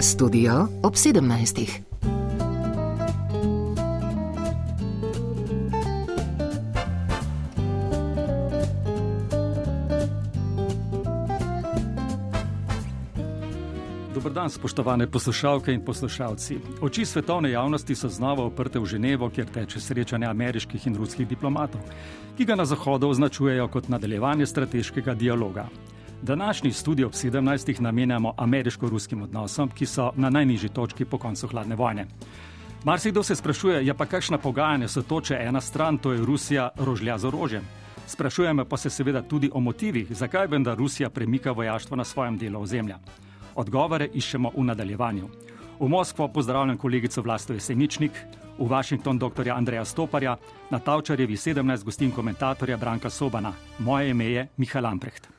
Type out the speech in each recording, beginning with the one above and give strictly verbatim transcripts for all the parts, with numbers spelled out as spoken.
Studio ob sedemnajstih. Dobar dan, spoštovane poslušalke in poslušalci. Oči svetovne javnosti so znova uprte v Ženevo, kjer teče srečanje ameriških in ruskih diplomatov, ki ga na Zahodu označujejo kot nadaljevanje strateškega dialoga. Današnji studio ob sedemnajstih namenjamo ameriško-ruskim odnosom, ki so na najnižji točki po koncu hladne vojne. Marsikdo se sprašuje, je pa kakšna pogajanja so to, če ena stran, to je Rusija, rožlja z orožjem. Sprašujemo pa se seveda tudi o motivih, zakaj vendar Rusija premika vojaštvo na svojem delu ozemlja. Odgovore iščemo v nadaljevanju. V Moskvo pozdravljam kolegico Vlasto Jeseničnik, v Washington doktorja Andreja Stoparja, na Tavčarjevi sedemnajst gostin komentatorja Branka Sobana. Moje ime je Miha Lamprecht.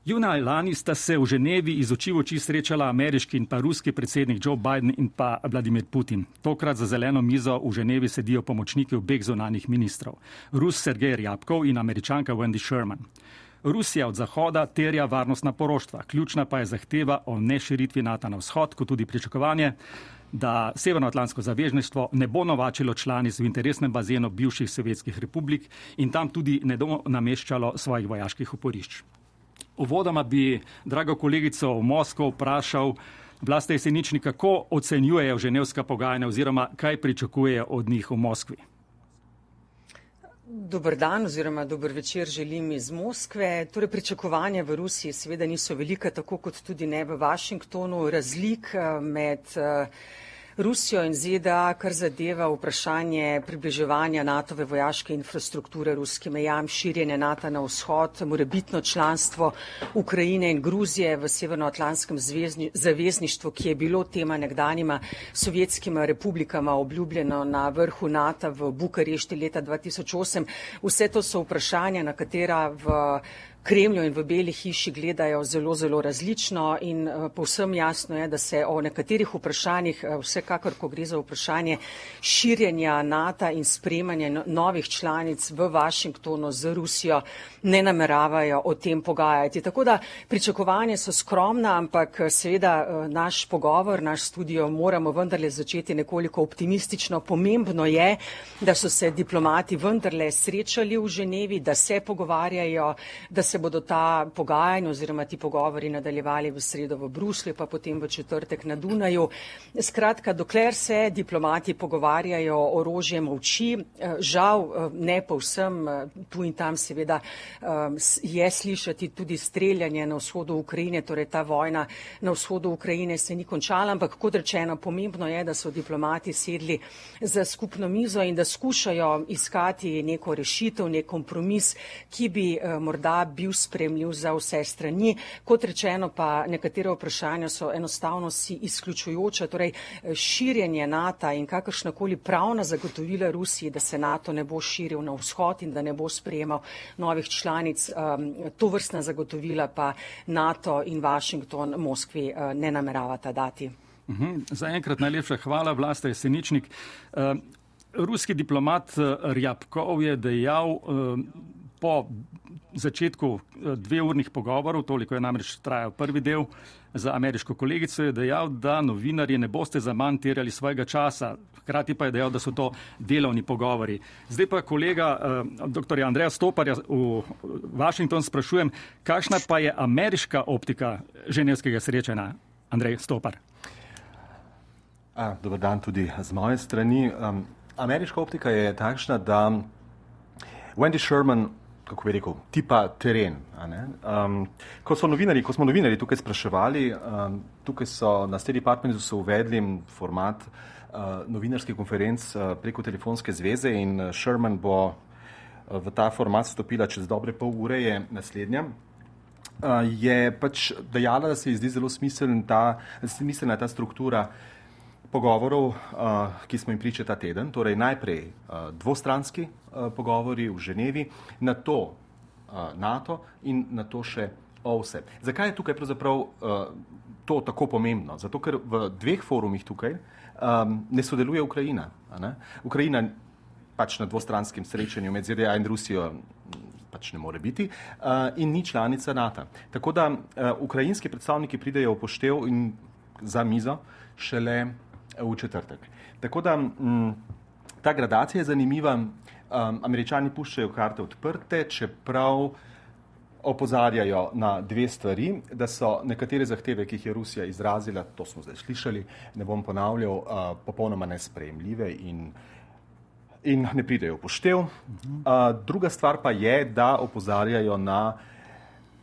Junija lani sta se v Ženevi iz oči v oči srečala ameriški in pa ruski predsednik Joe Biden in pa Vladimir Putin. Tokrat za zeleno mizo v Ženevi sedijo pomočniki obeh zunanjih ministrov, Rus Sergej Ryabkov in Američanka Wendy Sherman. Rusija od Zahoda terja varnostna poroštva, ključna pa je zahteva o neširitvi NATO na vzhod, kot tudi pričakovanje, da Severnoatlantsko zavezništvo ne bo novačilo članic v interesnem bazenu bivših sovjetskih republik in tam tudi ne bo nameščalo svojih vojaških oporišč. Uvodoma bi drago kolegico v Moskvo vprašal Vlasta Jeseničnik, kako ocenjujejo ženevska pogajanja oziroma kaj pričakujejo od njih v Moskvi. Dober dan oziroma dober večer želim iz Moskve. Torej, pričakovanja v Rusiji seveda niso velika, tako kot tudi ne v Washingtonu. Razlik med Rusijo in Z D A, kar zadeva vprašanje približevanja NATO-ve vojaške infrastrukture ruskim mejam, širjenje NATO na vzhod, morebitno članstvo Ukrajine in Gruzije v Severnoatlantskem zavezništvu, ki je bilo tema nekdanjima sovjetskima republikama obljubljeno na vrhu NATO v Bukarešti leta dva tisoč osem. Vse to so vprašanja, na katera v Kremlju in v Beli hiši gledajo zelo, zelo različno in povsem jasno je, da se o nekaterih vprašanjih, vsekakor, ko gre za vprašanje širjenja NATO in sprejemanja novih članic v Washingtonu z Rusijo, ne nameravajo o tem pogajati. Tako da pričakovanja so skromna, ampak seveda naš pogovor, naš studio moramo vendarle začeti nekoliko optimistično. Pomembno je, da so se diplomati vendarle srečali v Ženevi, da se pogovarjajo, da se bodo ta pogajanja oziroma ti pogovori nadaljevali v sredo v Bruslju, pa potem v četrtek na Dunaju. Skratka, dokler se diplomati pogovarjajo, orožje molči, žal ne povsem, tu in tam seveda je slišati tudi streljanje na vzhodu Ukrajine, torej ta vojna na vzhodu Ukrajine se ni končala, ampak kot rečeno, pomembno je, da so diplomati sedli za skupno mizo in da skušajo iskati neko rešitev, nek kompromis, ki bi morda bil bil spremljiv za vse strani. Kot rečeno pa nekatere vprašanja so enostavno si izključujoča, torej širjenje NATO in kakršnakoli pravna zagotovila Rusiji, da se NATO ne bo širil na vzhod in da ne bo sprejemal novih članic, to vrstna zagotovila pa NATO in Washington Moskvi ne nameravata dati. Uhum. Za enkrat najlepša hvala, Vlasta Jeseničnik. Ruski diplomat Ryabkov je dejal po začetku dveurnih pogovorov, toliko je namreč trajal prvi del, za ameriško kolegico je dejal, da novinarji ne boste zaman terjali svojega časa. Hkrati pa je dejal, da so to delovni pogovori. Zdaj pa kolega eh, dr. Andreja Stoparja v Washington sprašujem, kakšna pa je ameriška optika ženevskega srečanja? Andrej Stopar. A, dober dan tudi z moje strani. Um, ameriška optika je takšna, da Wendy Sherman, kako bi rekel, tipa teren. A ne? Um, ko, so novinari, ko smo novinari tukaj spraševali, um, tukaj so na State Departmentu so uvedli format uh, novinarskih konferenc uh, preko telefonske zveze in Sherman bo uh, v ta format stopila čez dobre pol ure, je naslednja. Uh, je pač dejala, da se ji zdi zelo smiselna ta, smiselna ta struktura pogovorov, uh, ki smo jim pričali ta teden, torej najprej uh, dvostranski uh, pogovori v Ženevi, nato uh, NATO in nato še O V S E. Zakaj je tukaj pravzaprav uh, to tako pomembno? Zato, ker v dveh forumih tukaj um, ne sodeluje Ukrajina. A ne? Ukrajina pač na dvostranskem srečanju med Z D A in Rusijo pač ne more biti uh, in ni članica NATO. Tako da uh, ukrajinski predstavniki pridejo v poštev in za mizo šele v četrtek. Tako da m, ta gradacija je zanimiva. Um, Američani puščajo karte odprte, čeprav opozarjajo na dve stvari, da so nekatere zahteve, ki jih je Rusija izrazila, to smo zdaj slišali, ne bom ponavljal, uh, popolnoma nesprejemljive in, in ne pridejo v poštev. Uh, druga stvar pa je, da opozarjajo na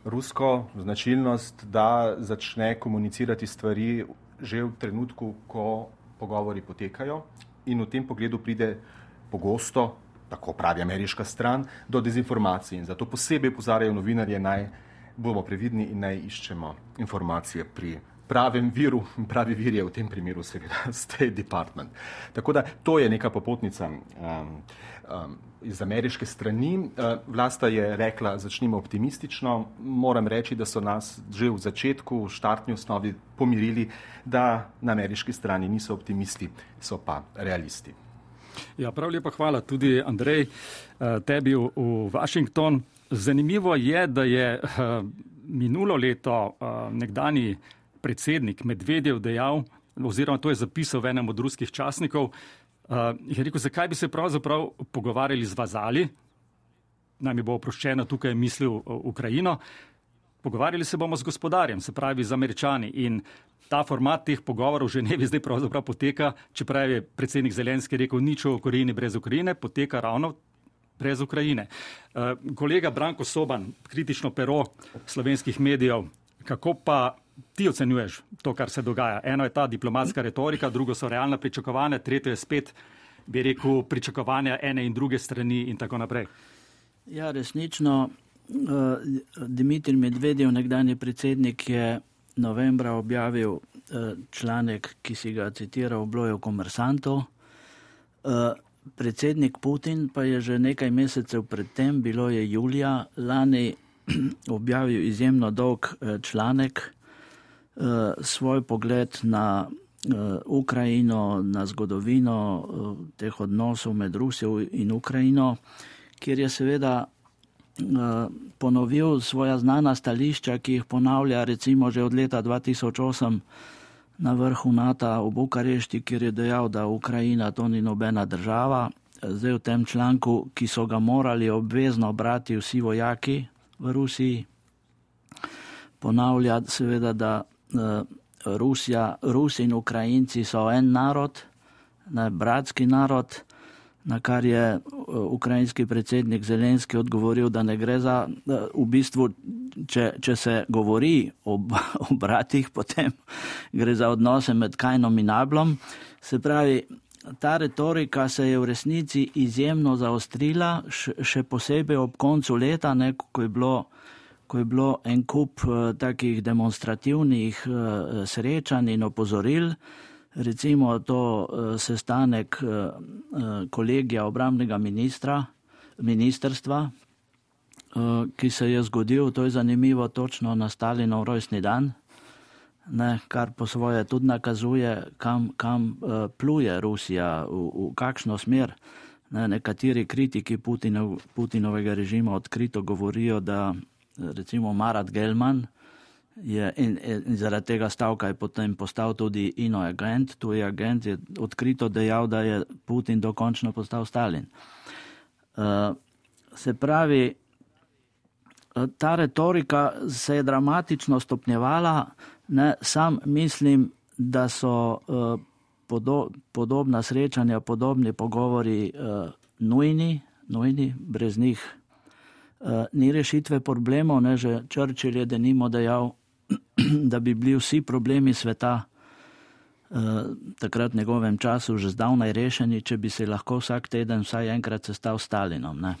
rusko značilnost, da začne komunicirati stvari že v trenutku, ko pogovori potekajo, in v tem pogledu pride pogosto, tako pravi ameriška stran, do dezinformacij. In zato posebej opozarjajo novinarje, naj bomo previdni in naj iščemo informacije pri pravem viru. Pravi vir je v tem primeru seveda State Department. Tako da to je neka popotnica um, um, iz ameriške strani. Uh, Vlasta je rekla, začnimo optimistično. Moram reči, da so nas že v začetku, v štartni osnovi pomirili, da na ameriški strani niso optimisti, so pa realisti. Ja, prav lepa hvala tudi, Andrej, tebi v, v Washington. Zanimivo je, da je minulo leto nekdani predsednik Medvedev dejal, oziroma to je zapisal v enem od ruskih časnikov, je rekel, zakaj bi se pravzaprav pogovarjali z vazali, naj mi bo oproščeno, tukaj je mislil Ukrajino, pogovarjali se bomo z gospodarjem, se pravi z Američani, in ta format teh pogovorov v Ženevi zdaj pravzaprav poteka, čeprav je predsednik Zelenski rekel nič o Ukrajini brez Ukrajine, poteka ravno brez Ukrajine. Uh, kolega Branko Soban, kritično pero slovenskih medijev, kako pa ti ocenjuješ to, kar se dogaja? Eno je ta diplomatska retorika, drugo so realna pričakovanja, tretje je spet, bi rekel, pričakovanja ene in druge strani in tako naprej. Ja, resnično, Dimitrij Medvedev, nekdanji predsednik, je novembra objavil članek, ki si ga citiral, bilo je v Komersantu. Predsednik Putin pa je že nekaj mesecev predtem, bilo je julija lani, objavil izjemno dolg članek, svoj pogled na Ukrajino, na zgodovino teh odnosov med Rusijo in Ukrajino, kjer je seveda ponovil svoja znana stališča, ki jih ponavlja recimo že od leta dva tisoč osem na vrhu NATO v Bukarešti, kjer je dejal, da Ukrajina to ni nobena država. Zdaj v tem članku, ki so ga morali obvezno brati vsi vojaki v Rusiji, ponavlja seveda, da Rusija, Rusi in Ukrajinci so en narod, ne, bratski narod, na kar je ukrajinski predsednik Zelenski odgovoril, da ne gre za, v bistvu, če, če se govori o, o bratih, potem gre za odnose med Kainom in Ablom. Se pravi, ta retorika se je v resnici izjemno zaostrila, še posebej ob koncu leta, ne, ko je bilo, ko je bilo en kup uh, takih demonstrativnih uh, srečanj in opozoril. Recimo to uh, sestanek uh, kolegija obrambnega ministra, ministerstva, uh, ki se je zgodil, to je zanimivo, točno na Stalinov rojstni dan, ne, kar po svoje tudi nakazuje, kam, kam uh, pluje Rusija, v, v kakšno smer. Ne, nekateri kritiki Putinov, Putinovega režima odkrito govorijo, da recimo Marat Gelman je in, in zaradi tega stavka je potem postal tudi ino agent, tuji agent je odkrito dejal, da je Putin dokončno postal Stalin. Uh, se pravi, ta retorika se je dramatično stopnjevala, ne, sam mislim, da so uh, podo, podobna srečanja, podobni pogovori uh, nujni, nujni, brez njih uh, ni rešitve problemov, ne, že Churchill je denimo dejal, da bi bili vsi problemi sveta uh, takrat v njegovem času že zdavnaj rešeni, če bi se lahko vsak teden vsaj enkrat sestal s Stalinom. Ne.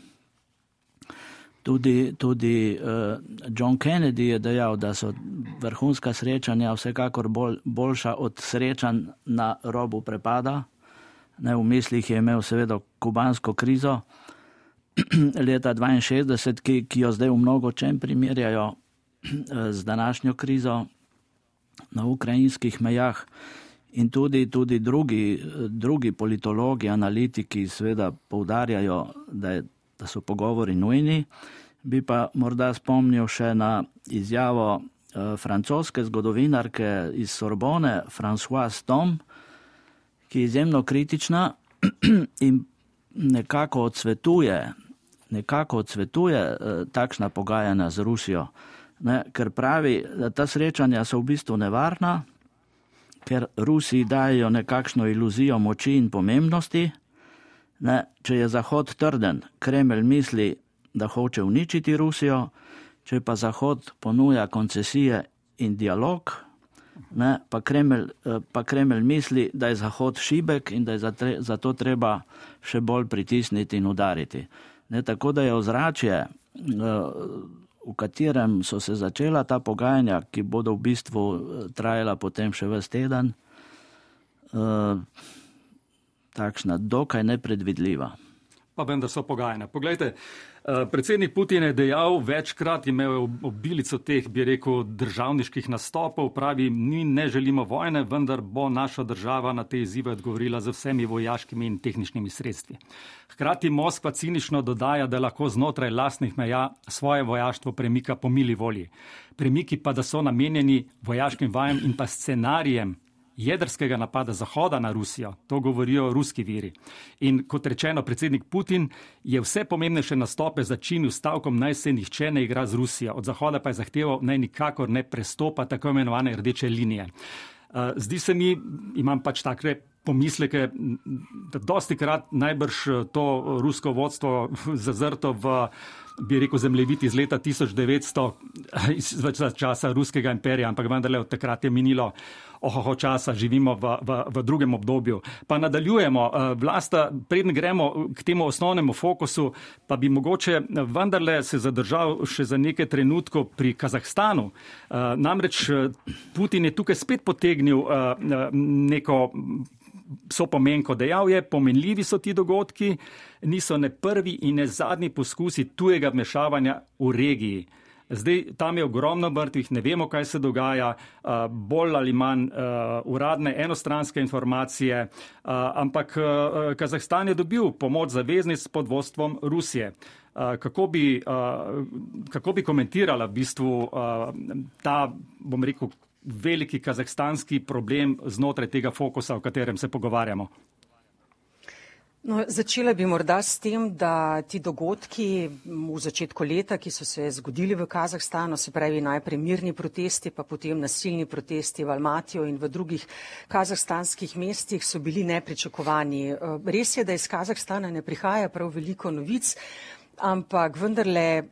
Tudi, tudi uh, John Kennedy je dejal, da so vrhunska srečanja vsekakor bolj, boljša od srečanj na robu prepada. Ne, v mislih je imel seveda kubansko krizo leta dvainšestdeset, ki, ki jo zdaj v mnogo čem primerjajo z današnjo krizo na ukrajinskih mejah, in tudi, tudi drugi, drugi politologi, analitiki seveda poudarjajo, da, je, da so pogovori nujni. Bi pa morda spomnil še na izjavo francoske zgodovinarke iz Sorbone, Françoise Tom, ki je izjemno kritična in nekako odsvetuje, nekako odsvetuje takšna pogajanja z Rusijo, ne, ker pravi, da ta srečanja so v bistvu nevarna, ker Rusiji dajo nekakšno iluzijo moči in pomembnosti. Ne, če je Zahod trden, Kremelj misli, da hoče uničiti Rusijo, če pa Zahod ponuja koncesije in dialog, ne, pa, Kremelj, pa Kremelj misli, da je Zahod šibek in da je zato treba še bolj pritisniti in udariti. Ne, tako da je ozračje, v katerem so se začela ta pogajanja, ki bodo v bistvu trajala potem še ves teden, takšna dokaj nepredvidljiva. Pa vendar so pogajanja. Poglejte, predsednik Putin je dejal, večkrat imel obilico teh, bi rekel, državniških nastopov, pravi, mi ne želimo vojne, vendar bo naša država na te izzive odgovorila z vsemi vojaškimi in tehničnimi sredstvi. Hkrati Moskva cinično dodaja, da lahko znotraj lastnih meja svoje vojaštvo premika po mili volji. Premiki pa, da so namenjeni vojaškim vajam in pa scenarijem jedrskega napada Zahoda na Rusijo, to govorijo ruski viri. In kot rečeno, predsednik Putin je vse pomembnejše nastope začinil stavkom, naj se nihče ne igra z Rusijo. Od Zahoda pa je zahteval, naj nikakor ne prestopa tako imenovane rdeče linije. Zdi se mi, imam pač takve pomisleke, da dosti krat najbrž to rusko vodstvo zazrto v, bi rekel, zemljevid iz leta tisoč devetsto, iz časa ruskega imperija, ampak vendarle od takrat je minilo ohoho časa, živimo v, v, v drugem obdobju. Pa nadaljujemo, Vlasta, preden gremo k temu osnovnemu fokusu, pa bi mogoče vendarle se zadržal še za nekaj trenutkov pri Kazahstanu. Namreč Putin je tukaj spet potegnil neko sopomenko, dejal je, pomenljivi so ti dogodki, niso ne prvi in ne zadnji poskusi tujega vmešavanja v regiji. Zdaj, tam je ogromno mrtvih, ne vemo, kaj se dogaja, bolj ali manj uradne enostranske informacije, ampak Kazahstan je dobil pomoč zaveznic pod vodstvom Rusije. Kako bi, kako bi komentirala v bistvu ta, bom rekel, veliki kazahstanski problem znotraj tega fokusa, o katerem se pogovarjamo? No, začela bi morda s tem, da ti dogodki v začetku leta, ki so se zgodili v Kazahstanu, se pravi najprej mirni protesti, pa potem nasilni protesti v Almatiju in v drugih kazahstanskih mestih, so bili nepričakovani. Res je, da iz Kazahstana ne prihaja prav veliko novic, ampak vendarle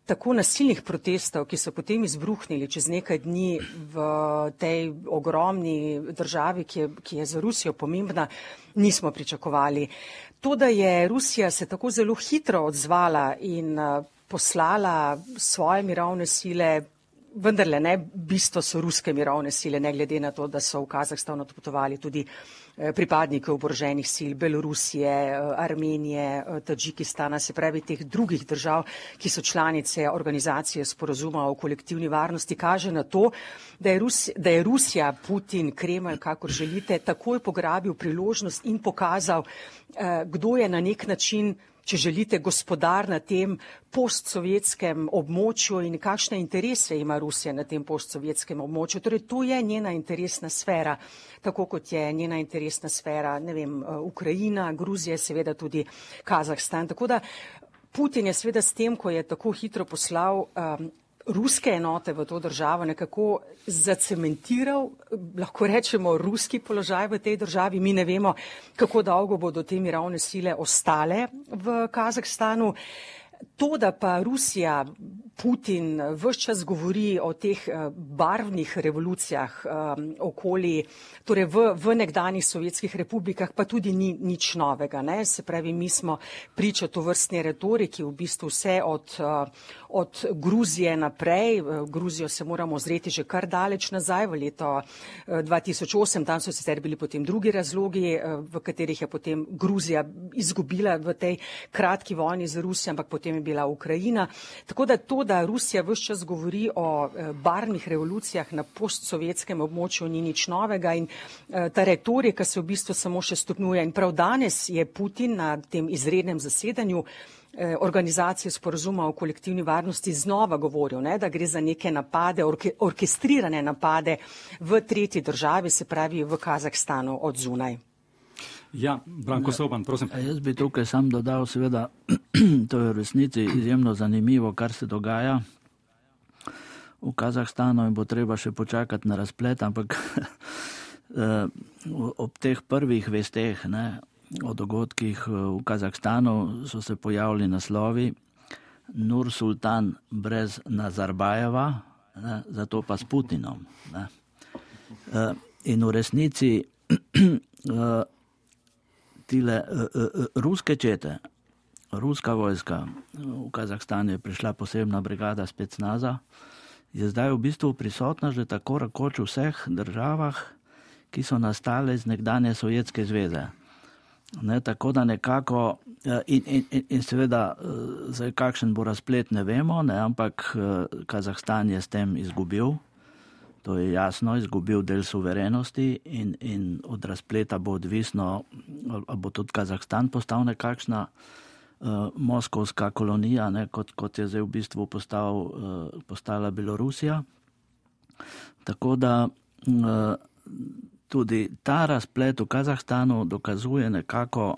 tako nasilnih protestov, ki so potem izbruhnili čez nekaj dni v tej ogromni državi, ki je, ki je za Rusijo pomembna, nismo pričakovali. To, da je Rusija se tako zelo hitro odzvala in poslala svoje mirovne sile, vendarle ne, bistvo so ruske mirovne sile, ne glede na to, da so v Kazahstan odpotovali tudi pripadniki oboroženih sil Belorusije, Armenije, Tadžikistana, se pravi teh drugih držav, ki so članice organizacije sporazuma o kolektivni varnosti, kaže na to, da je, Rus, da je Rusija, Putin, Kremelj, kakor želite, takoj pograbil priložnost in pokazal, kdo je na nek način, če želite, gospodar na tem postsovjetskem območju in kakšne interese ima Rusija na tem postsovjetskem območju. Torej, to je njena interesna sfera, tako kot je njena interesna sfera, ne vem, Ukrajina, Gruzija, seveda tudi Kazahstan. Tako da Putin je seveda s tem, ko je tako hitro poslal um, ruske enote v to državo, nekako zacementiral, lahko rečemo, ruski položaj v tej državi. Mi ne vemo, kako dolgo bodo te mirovne sile ostale v Kazahstanu. To, da pa Rusija, Putin ves čas govori o teh barvnih revolucijah um, okoli, torej v, v nekdanjih sovjetskih republikah, pa tudi ni nič novega. Ne? Se pravi, mi smo priča tovrstni retoriki, v bistvu vse od, od Gruzije naprej. Gruzijo se moramo ozreti že kar daleč nazaj, v leto dva tisoč osem, tam so sicer bili potem drugi razlogi, v katerih je potem Gruzija izgubila v tej kratki vojni z Rusijo, ampak potem je bila Ukrajina. Tako da to, da Rusija ves čas govori o barvnih revolucijah na postsovjetskem območju, ni nič novega in ta retorika se v bistvu samo še stopnjuje. In prav danes je Putin na tem izrednem zasedanju organizacije sporozuma o kolektivni varnosti znova govoril, ne, da gre za neke napade, orke, orkestrirane napade v tretji državi, se pravi v Kazahstanu od zunaj. Ja, Branko Soban, prosim. Jaz bi tukaj sam dodal, seveda, to je v resnici izjemno zanimivo, kar se dogaja v Kazahstanu in bo treba še počakati na razplet, ampak ob teh prvih vesteh, ne, o dogodkih v Kazahstanu so se pojavili naslovi Nur Sultan brez Nazarbajeva, ne, zato pa s Putinom. Ne. In v resnici tile ruske čete, ruska vojska, v Kazahstanu je prišla posebna brigada specnaza, je zdaj v bistvu prisotna že tako rekoč v vseh državah, ki so nastale iz nekdanje Sovjetske zveze. Ne, tako da nekako, in, in, in seveda, zdaj kakšen bo razplet, ne vemo, ne, ampak Kazahstan je s tem izgubil, to je jasno, izgubil del suverenosti in, in od razpleta bo odvisno, ali bo tudi Kazahstan postal nekakšna uh, moskovska kolonija, ne, kot, kot je zdaj v bistvu postal, uh, postala Belorusija. Tako da uh, tudi ta razplet v Kazahstanu dokazuje nekako,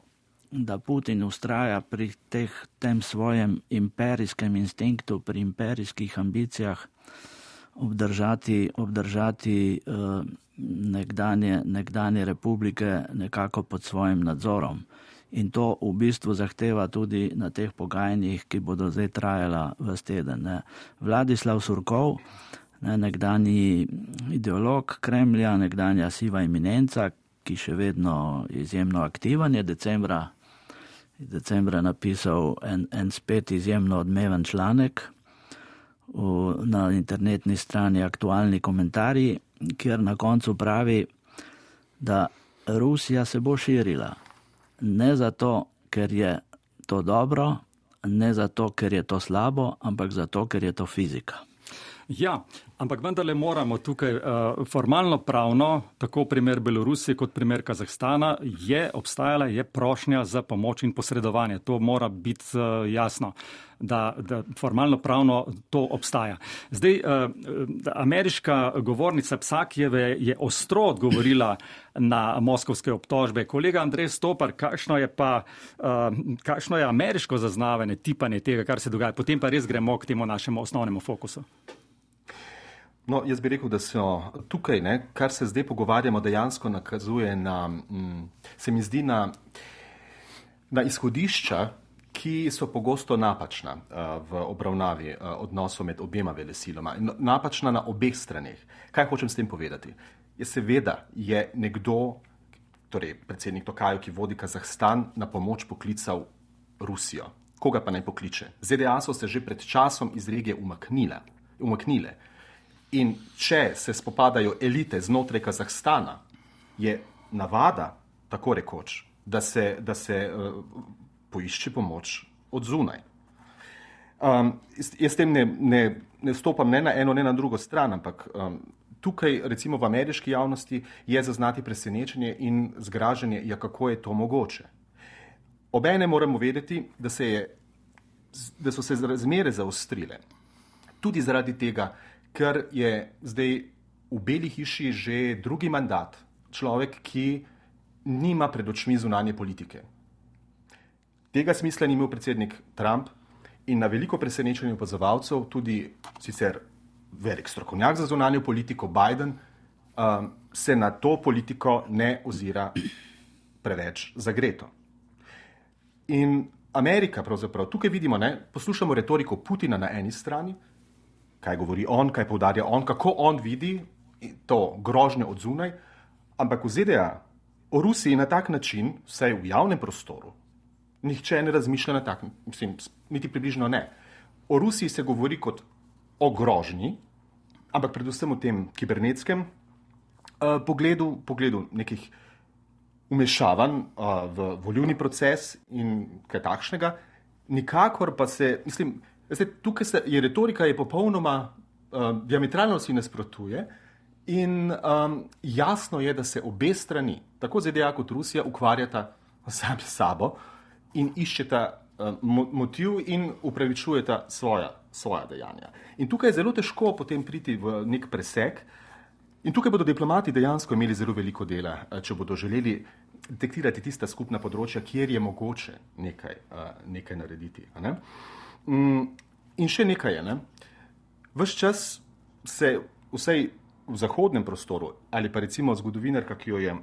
da Putin ustraja pri teh, tem svojem imperijskem instinktu, pri imperijskih ambicijah obdržati, obdržati uh, nekdanje, nekdanje republike nekako pod svojim nadzorom. In to v bistvu zahteva tudi na teh pogajanjih, ki bodo zdaj trajala ves teden. Ne. Vladislav Surkov, ne, nekdanji ideolog Kremlja, nekdanja siva eminenca, ki še vedno izjemno aktiven, je decembra, decembra napisal en, en spet izjemno odmeven članek v, na internetni strani Aktualni komentarji, kjer na koncu pravi, da Rusija se bo širila. Ne zato, ker je to dobro, ne zato, ker je to slabo, ampak zato, ker je to fizika. Ja, ampak vendarle moramo tukaj uh, formalno pravno, tako primer Belorusije kot primer Kazahstana, je obstajala, je prošnja za pomoč in posredovanje. To mora biti uh, jasno, da, da formalno pravno to obstaja. Zdaj, uh, ameriška govornica Psakijeve je ostro odgovorila na moskovske obtožbe. Kolega Andrej Stopar, kakšno je pa, uh, kakšno je ameriško zaznavanje, tipanje tega, kar se dogaja? Potem pa res gremo k temu našemu osnovnemu fokusu. No, jaz bi rekel, da so tukaj, ne, kar se zdaj pogovarjamo, dejansko nakazuje na, m, se mi zdi, na, na izhodišča, ki so pogosto napačna uh, v obravnavi uh, odnosov med obema velesiloma. Napačna na obeh straneh. Kaj hočem s tem povedati? Je seveda je nekdo, torej predsednik Tokajev, ki vodi Kazahstan, na pomoč poklical Rusijo. Koga pa naj pokliče? Z D A so se že pred časom iz regije umaknile. umaknile. In če se spopadajo elite znotraj Kazahstana, je navada, tako rekoč, da se, da se uh, poišče pomoč od zunaj. Um, jaz s tem ne, ne, ne stopam ne na eno, ne na drugo stran, ampak um, tukaj, recimo v ameriški javnosti, je zaznati presenečenje in zgražanje, ja, kako je to mogoče. Obene moramo vedeti, da, se je, da so se razmere zaostrile. Tudi zaradi tega, ker je zdaj v Beli hiši že drugi mandat človek, ki nima pred očmi zunanje politike. Tega smisla ni imel predsednik Trump in na veliko presenečenje opazovalcev, tudi sicer velik strokovnjak za zunanjo politiko Biden, um, se na to politiko ne ozira preveč zagreto. In Amerika pravzaprav, tukaj vidimo, ne, poslušamo retoriko Putina na eni strani, kaj govori on, kaj poudarja on, kako on vidi to grožnjo od zunaj, ampak v Z D A o Rusiji na tak način, vsaj v javnem prostoru, nihče ne razmišlja na tak, mislim, niti približno ne. O Rusiji se govori kot o grožnji, ampak predvsem o tem kibernetskem uh, pogledu, pogledu nekih umešavanj uh, v volilni proces in kaj takšnega, nikakor pa se, mislim, Zdaj, tukaj se, je retorika je popolnoma uh, diametralno si nasprotuje in um, jasno je, da se obe strani, tako Z D A kot Rusija, ukvarjata sami s sabo in iščeta motiv in upravičujeta svoja, svoja dejanja. In tukaj je zelo težko potem priti v nek presek. In tukaj bodo diplomati dejansko imeli zelo veliko dela, če bodo želeli detektirati tista skupna področja, kjer je mogoče nekaj, nekaj narediti. Ne? In še nekaj je. Ne? Ves čas se vsej v zahodnem prostoru, ali pa recimo zgodovinarka, ki jo je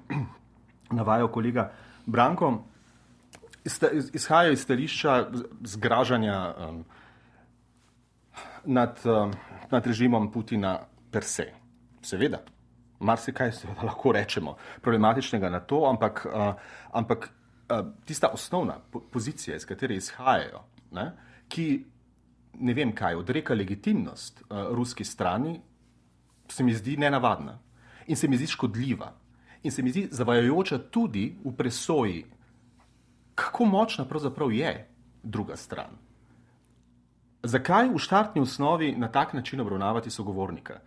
navajal kolega Branko, izhajajo iz stališča zgražanja um, nad, um, nad režimom Putina per se. Seveda, marsikaj seveda lahko rečemo problematičnega na to, ampak, uh, ampak uh, tista osnovna po- pozicija, iz katere izhajajo, ne, ki ne vem kaj, odreka legitimnost uh, ruski strani, se mi zdi nenavadna in se mi zdi škodljiva in se mi zdi zavajajoča tudi v presoji, kako močna pravzaprav je druga stran. Zakaj v štartni osnovi na tak način obravnavati sogovornika?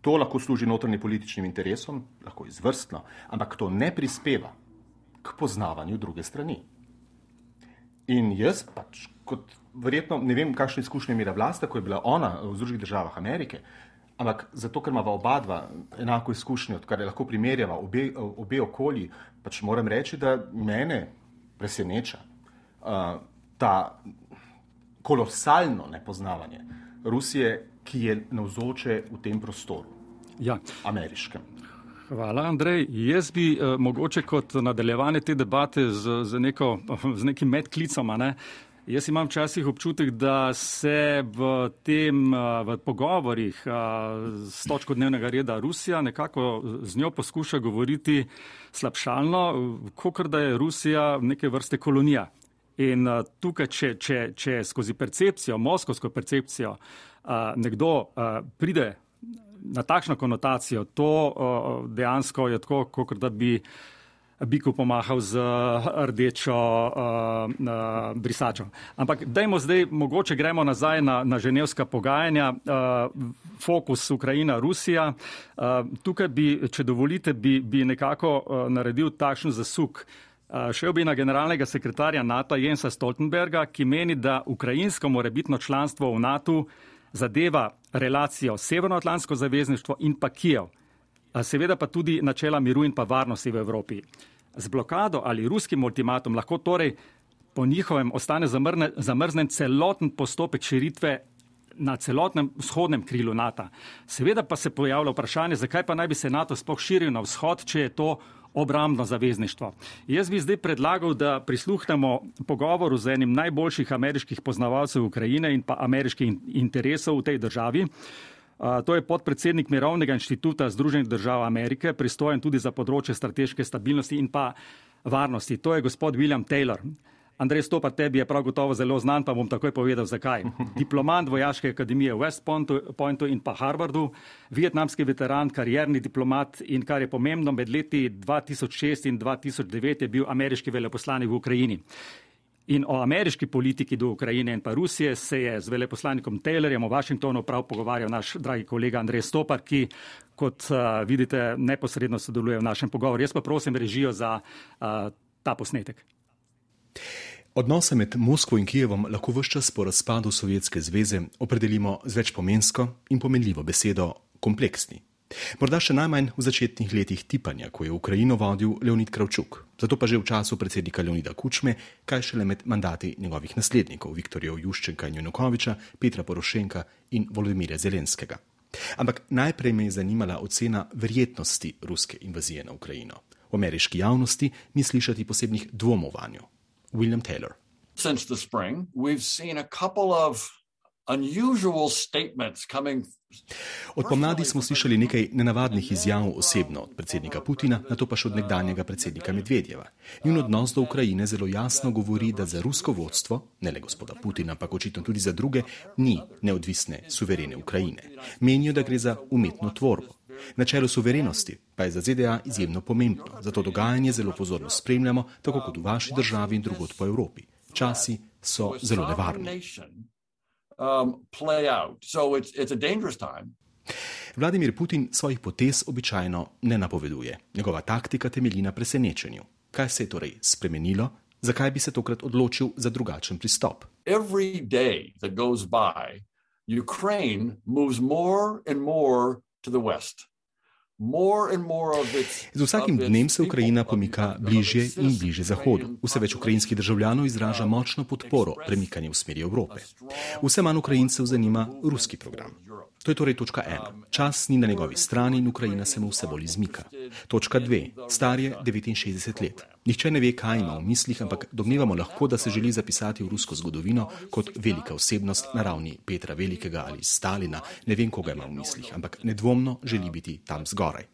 To lahko služi notranjim političnim interesom, lahko izvrstno, ampak to ne prispeva k poznavanju druge strani. In jaz pač, kot verjetno, ne vem, kakšne izkušnje imela Vlasta, ko je bila ona v Združenih državah Amerike, ampak zato, ker imava oba dva enako izkušnjo, kar je lahko primerjava obe, obe okolji, pač moram reči, da mene preseneča uh, ta kolosalno nepoznavanje Rusije, ki je navzoče v tem prostoru, ja. Ameriškem. Hvala, Andrej. Jaz bi uh, mogoče kot nadaljevanje te debate z, z, neko, z nekim medklicom, ne, jaz imam včasih občutek, da se v tem, v pogovorih s točko dnevnega reda Rusija nekako z njo poskuša govoriti slabšalno, kakor da je Rusija neke vrste kolonija. In tukaj, če, če, če skozi percepcijo, moskovsko percepcijo, nekdo pride na takšno konotacijo, to dejansko je tako, kakor da bi biku pomahal z rdečo uh, uh, brisačo. Ampak dajmo zdaj, mogoče gremo nazaj na, na ženevska pogajanja, uh, fokus Ukrajina-Rusija. Uh, tukaj bi, če dovolite, bi, bi nekako uh, naredil takšen zasuk. Uh, šel bi na generalnega sekretarja NATO Jensa Stoltenberga, ki meni, da ukrajinsko morebitno članstvo v NATO zadeva relacijo Severnoatlantsko zavezništvo in pa Kijev. Seveda pa tudi načela miru in pa varnosti v Evropi. Z blokado ali ruskim ultimatom lahko torej po njihovem ostane zamrne, zamrznen celoten postopek širitve na celotnem vzhodnem krilu NATO. Seveda pa se pojavlja vprašanje, zakaj pa naj bi se NATO sploh širil na vzhod, če je to obrambno zavezništvo. Jaz bi zdaj predlagal, da prisluhnemo pogovoru z enim najboljših ameriških poznavalcev Ukrajine in pa ameriških interesov v tej državi. Uh, to je podpredsednik Mirovnega inštituta Združenih držav Amerike, pristojen tudi za področje strateške stabilnosti in pa varnosti. To je gospod William Taylor. Andrej Stopar, tebi je prav gotovo zelo znan, pa bom takoj povedal, zakaj. Diplomat Vojaške akademije v West Pointu in pa Harvardu, vietnamski veteran, karierni diplomat in, kar je pomembno, med leti dva tisoč šest in dva tisoč devet je bil ameriški veleposlanik v Ukrajini. In o ameriški politiki do Ukrajine in pa Rusije se je z veleposlanikom Taylorjem v Washingtonu prav pogovarjal naš dragi kolega Andrej Stopar, ki, kot uh, vidite, neposredno sodeluje v našem pogovoru. Jaz pa prosim režijo za uh, ta posnetek. Odnose med Moskvo in Kijevom lahko ves čas po razpadu Sovjetske zveze opredelimo z večpomensko in pomenljivo besedo kompleksni. Morda še najmanj v začetnih letih tipanja, ko je Ukrajino vodil Leonid Kravčuk. Zato pa že v času predsednika Leonida Kučme, kaj šele med mandati njegovih naslednikov, Viktorja Juščenka in Janukoviča, Petra Porošenka in Volodymyra Zelenskega. Ampak najprej me je zanimala ocena verjetnosti ruske invazije na Ukrajino. V ameriški javnosti ni slišati posebnih dvomov vanjo. William Taylor. Since the spring, we've seen a couple of unusual statements coming. Od pomladi smo slišali nekaj nenavadnih izjav osebno od predsednika Putina, nato pa še od nekdanjega predsednika Medvedjeva. Njun odnos do Ukrajine zelo jasno govori, da za rusko vodstvo, ne le gospoda Putina, pa očitno tudi za druge, ni neodvisne, suverene Ukrajine. Menijo, da gre za umetno tvorbo. Načelo suverenosti pa je za Z D A izjemno pomembno, zato dogajanje zelo pozorno spremljamo, tako kot v vaši državi in drugod po Evropi. Časi so zelo nevarni. Um, play out. So it's, it's a dangerous time. Vladimir Putin svojih potez običajno ne napoveduje. Njegova taktika temelji na presenečenju. Kaj se je torej spremenilo Zakaj bi se tokrat odločil za drugačen pristop? Every day that goes by, Ukraine moves more and more to the west. Z vsakim dnem se Ukrajina pomika bližje in bližje Zahodu. Vse več ukrajinskih državljanov izraža močno podporo premikanju v smeri Evrope. Vse manj Ukrajincev zanima ruski program. To je torej točka ena. Čas ni na njegovi strani in Ukrajina se mu vse bolj izmika. Točka dve. Star je devetinšestdeset let. Nihče ne ve, kaj ima v mislih, ampak domnevamo lahko, da se želi zapisati v rusko zgodovino kot velika osebnost na ravni Petra Velikega ali Stalina. Ne vem, koga ima v mislih, ampak nedvomno želi biti tam zgoraj.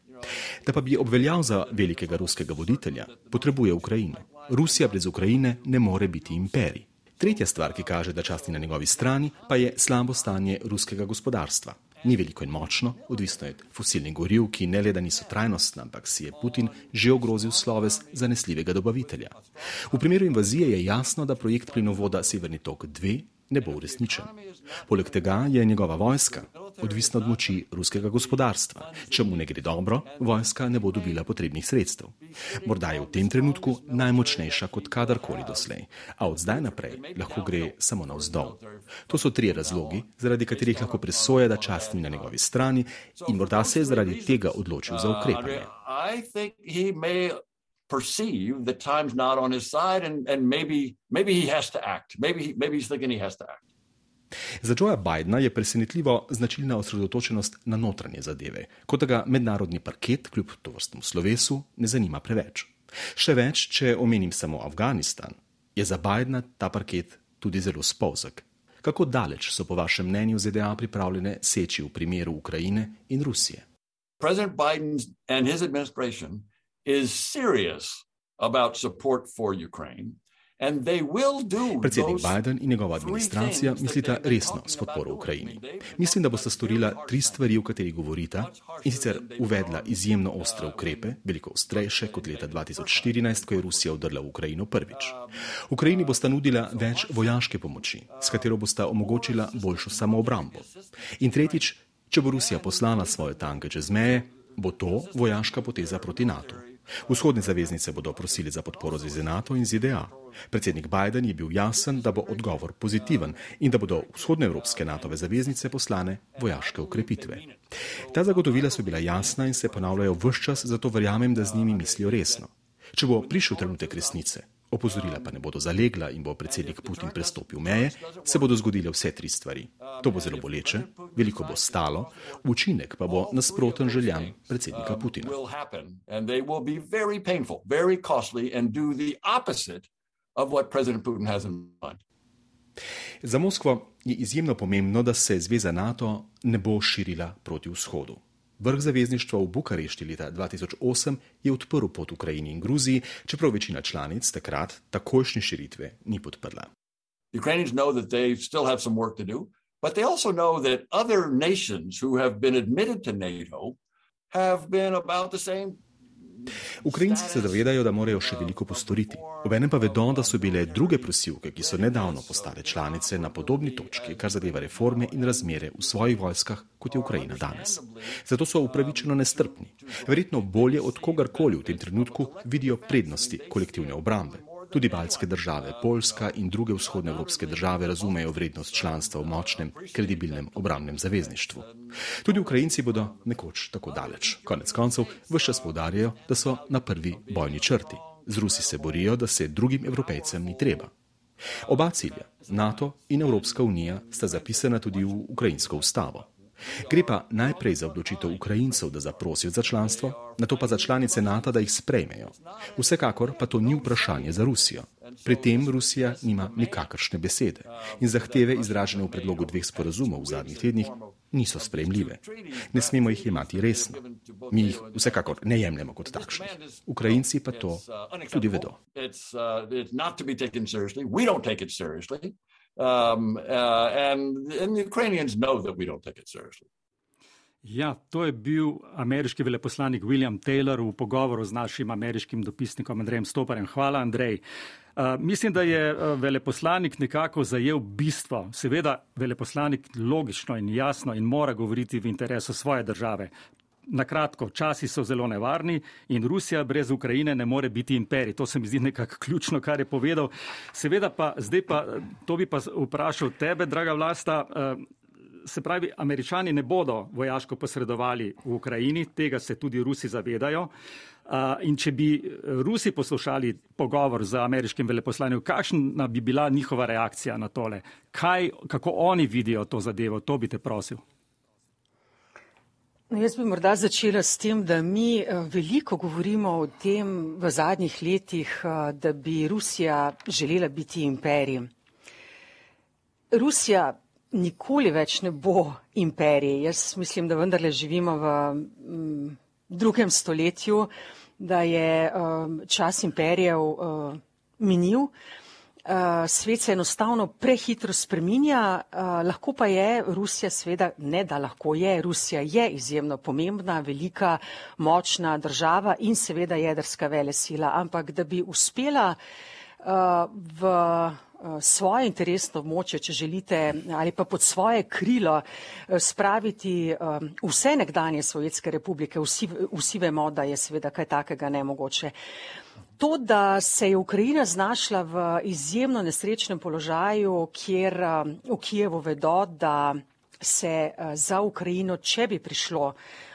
Da pa bi obveljal za velikega ruskega voditelja, potrebuje Ukrajino. Rusija brez Ukrajine ne more biti imperij. Tretja stvar, ki kaže, da čas ni na njegovi strani, pa je slabo stanje ruskega gospodarstva. Ni veliko in močno, odvisno je od fosilnih goriv, ki ne le da niso trajnostna, ampak si je Putin že ogrozil sloves zanesljivega dobavitelja. V primeru invazije je jasno, da projekt plinovoda Severni tok dva ne bo uresničen. Poleg tega je njegova vojska odvisna od moči ruskega gospodarstva. Če mu ne gre dobro, vojska ne bo dobila potrebnih sredstev. Morda je v tem trenutku najmočnejša kot kadarkoli doslej, a od zdaj naprej lahko gre samo navzdol. To so trije razlogi, zaradi katerih lahko presoja, da čas ni na njegovi strani in morda se je zaradi tega odločil za ukrepanje. Perceive that time's not on his side and, and maybe, maybe he has to act. Maybe, he, maybe he's thinking he has to act. Za Joea Bidena je presenetljivo značilna osredotočenost na notranje zadeve, kot da ga mednarodni parket kljub tovrstnemu slovesu ne zanima preveč. Še več, če omenim samo Afganistan, je za Bidena ta parket tudi zelo spolzek. Kako daleč so po vašem mnenju Z D A pripravljene seči v primeru Ukrajine in Rusije? President Biden and his administration is serious about support for Ukraine. And they will do Predsednik Biden in njegova administracija mislita resno s podporo Ukrajini. Mislim, da bosta storila tri stvari, o katerih govorita, in sicer uvedla izjemno ostre ukrepe, veliko ostrejše kot leta dva tisoč štirinajst, ko je Rusija vdrla v Ukrajino prvič. Ukrajini bosta nudila več vojaške pomoči, s katero bosta omogočila boljšo samoobrambo. In tretjič, če bo Rusija poslala svoje tanke čez meje, bo to vojaška poteza proti NATO. Vzhodne zaveznice bodo prosili za podporo Zveze NATO in Z D A. Predsednik Biden je bil jasen, da bo odgovor pozitiven in da bodo vzhodnoevropske NATOve zaveznice poslane vojaške ukrepitve. Ta zagotovila so bila jasna in se ponavljajo ves čas, zato verjamem, da z njimi mislijo resno. Če bo prišel trenutek resnice, opozorila pa ne bodo zalegla in bo predsednik Putin prestopil meje, se bodo zgodile vse tri stvari. To bo zelo boleče, veliko bo stalo, učinek pa bo nasproten željam predsednika Putina. Za Moskvo je izjemno pomembno, da se zveza NATO ne bo širila proti vzhodu. Vrh zavezništva v Bukarešti leta dva tisoč osem je odprl pot Ukrajini in Gruziji, čeprav večina članic takrat takojšnje širitve ni podprla. Ukrainians know that they still have some work to do, but they also know that other nations who have been admitted to NATO have been about the same. Ukrajinci se zavedajo, da morajo še veliko postoriti. Obenem pa vedo, da so bile druge prosilke, ki so nedavno postale članice, na podobni točki, kar zadeva reforme in razmere v svojih vojskah, kot je Ukrajina danes. Zato so upravičeno nestrpni. Verjetno bolje od kogarkoli v tem trenutku vidijo prednosti kolektivne obrambe. Tudi baltske države, Poljska in druge vzhodnoevropske države razumejo vrednost članstva v močnem, kredibilnem obrambnem zavezništvu. Tudi Ukrajinci bodo nekoč tako daleč. Konec koncev ves čas poudarjajo, da so na prvi bojni črti. Z Rusi se borijo, da se drugim Evropejcem ni treba. Oba cilja, NATO in Evropska unija, sta zapisana tudi v ukrajinsko ustavo. Gre pa najprej za odločitev Ukrajincev, da zaprosijo za članstvo, nato pa za članice NATO, da jih sprejmejo. Vsekakor pa to ni vprašanje za Rusijo. Pri tem Rusija nima nikakršne besede in zahteve izražene v predlogu dveh sporazumov v zadnjih tednih niso sprejemljive. Ne smemo jih jemati resno. Mi jih vsekakor ne jemljemo kot takšnih. Ukrajinci pa to tudi vedo. Um, uh, and, and the Ukrainians know that we don't take it seriously. Ja, to je bil ameriški veleposlanik William Taylor v pogovoru z našim ameriškim dopisnikom Andrejem Stoparjem. Hvala, Andrej. Uh, mislim, da je veleposlanik nekako zajel bistvo. Seveda, veleposlanik logično in jasno in mora govoriti v interesu svoje države. Na kratko, časi so zelo nevarni in Rusija brez Ukrajine ne more biti imperij. To se mi zdi nekako ključno, kar je povedal. Seveda pa, zdaj pa, to bi pa vprašal tebe, draga Vlasta, se pravi, Američani ne bodo vojaško posredovali v Ukrajini, tega se tudi Rusi zavedajo. In če bi Rusi poslušali pogovor z ameriškim veleposlanjem, kakšna bi bila njihova reakcija na tole? Kaj, kako oni vidijo to zadevo? To bi te prosil. No, jaz bi morda začela s tem, da mi veliko govorimo o tem v zadnjih letih, da bi Rusija želela biti imperij. Rusija nikoli več ne bo imperij. Jaz mislim, da vendarle živimo v m, drugem stoletju, da je um, čas imperijev uh, minil. Uh, svet se enostavno prehitro spreminja, uh, lahko pa je Rusija seveda, ne da lahko je, Rusija je izjemno pomembna, velika, močna država in seveda jedrska velesila, ampak da bi uspela uh, v uh, svoje interesno območje, če želite, ali pa pod svoje krilo uh, spraviti uh, vse nekdanje Sovjetske republike, vsi, vsi vemo, da je seveda kaj takega nemogoče. To, da se je Ukrajina znašla v izjemno nesrečnem položaju, kjer v Kijevu vedo, da se za Ukrajino, če bi prišlo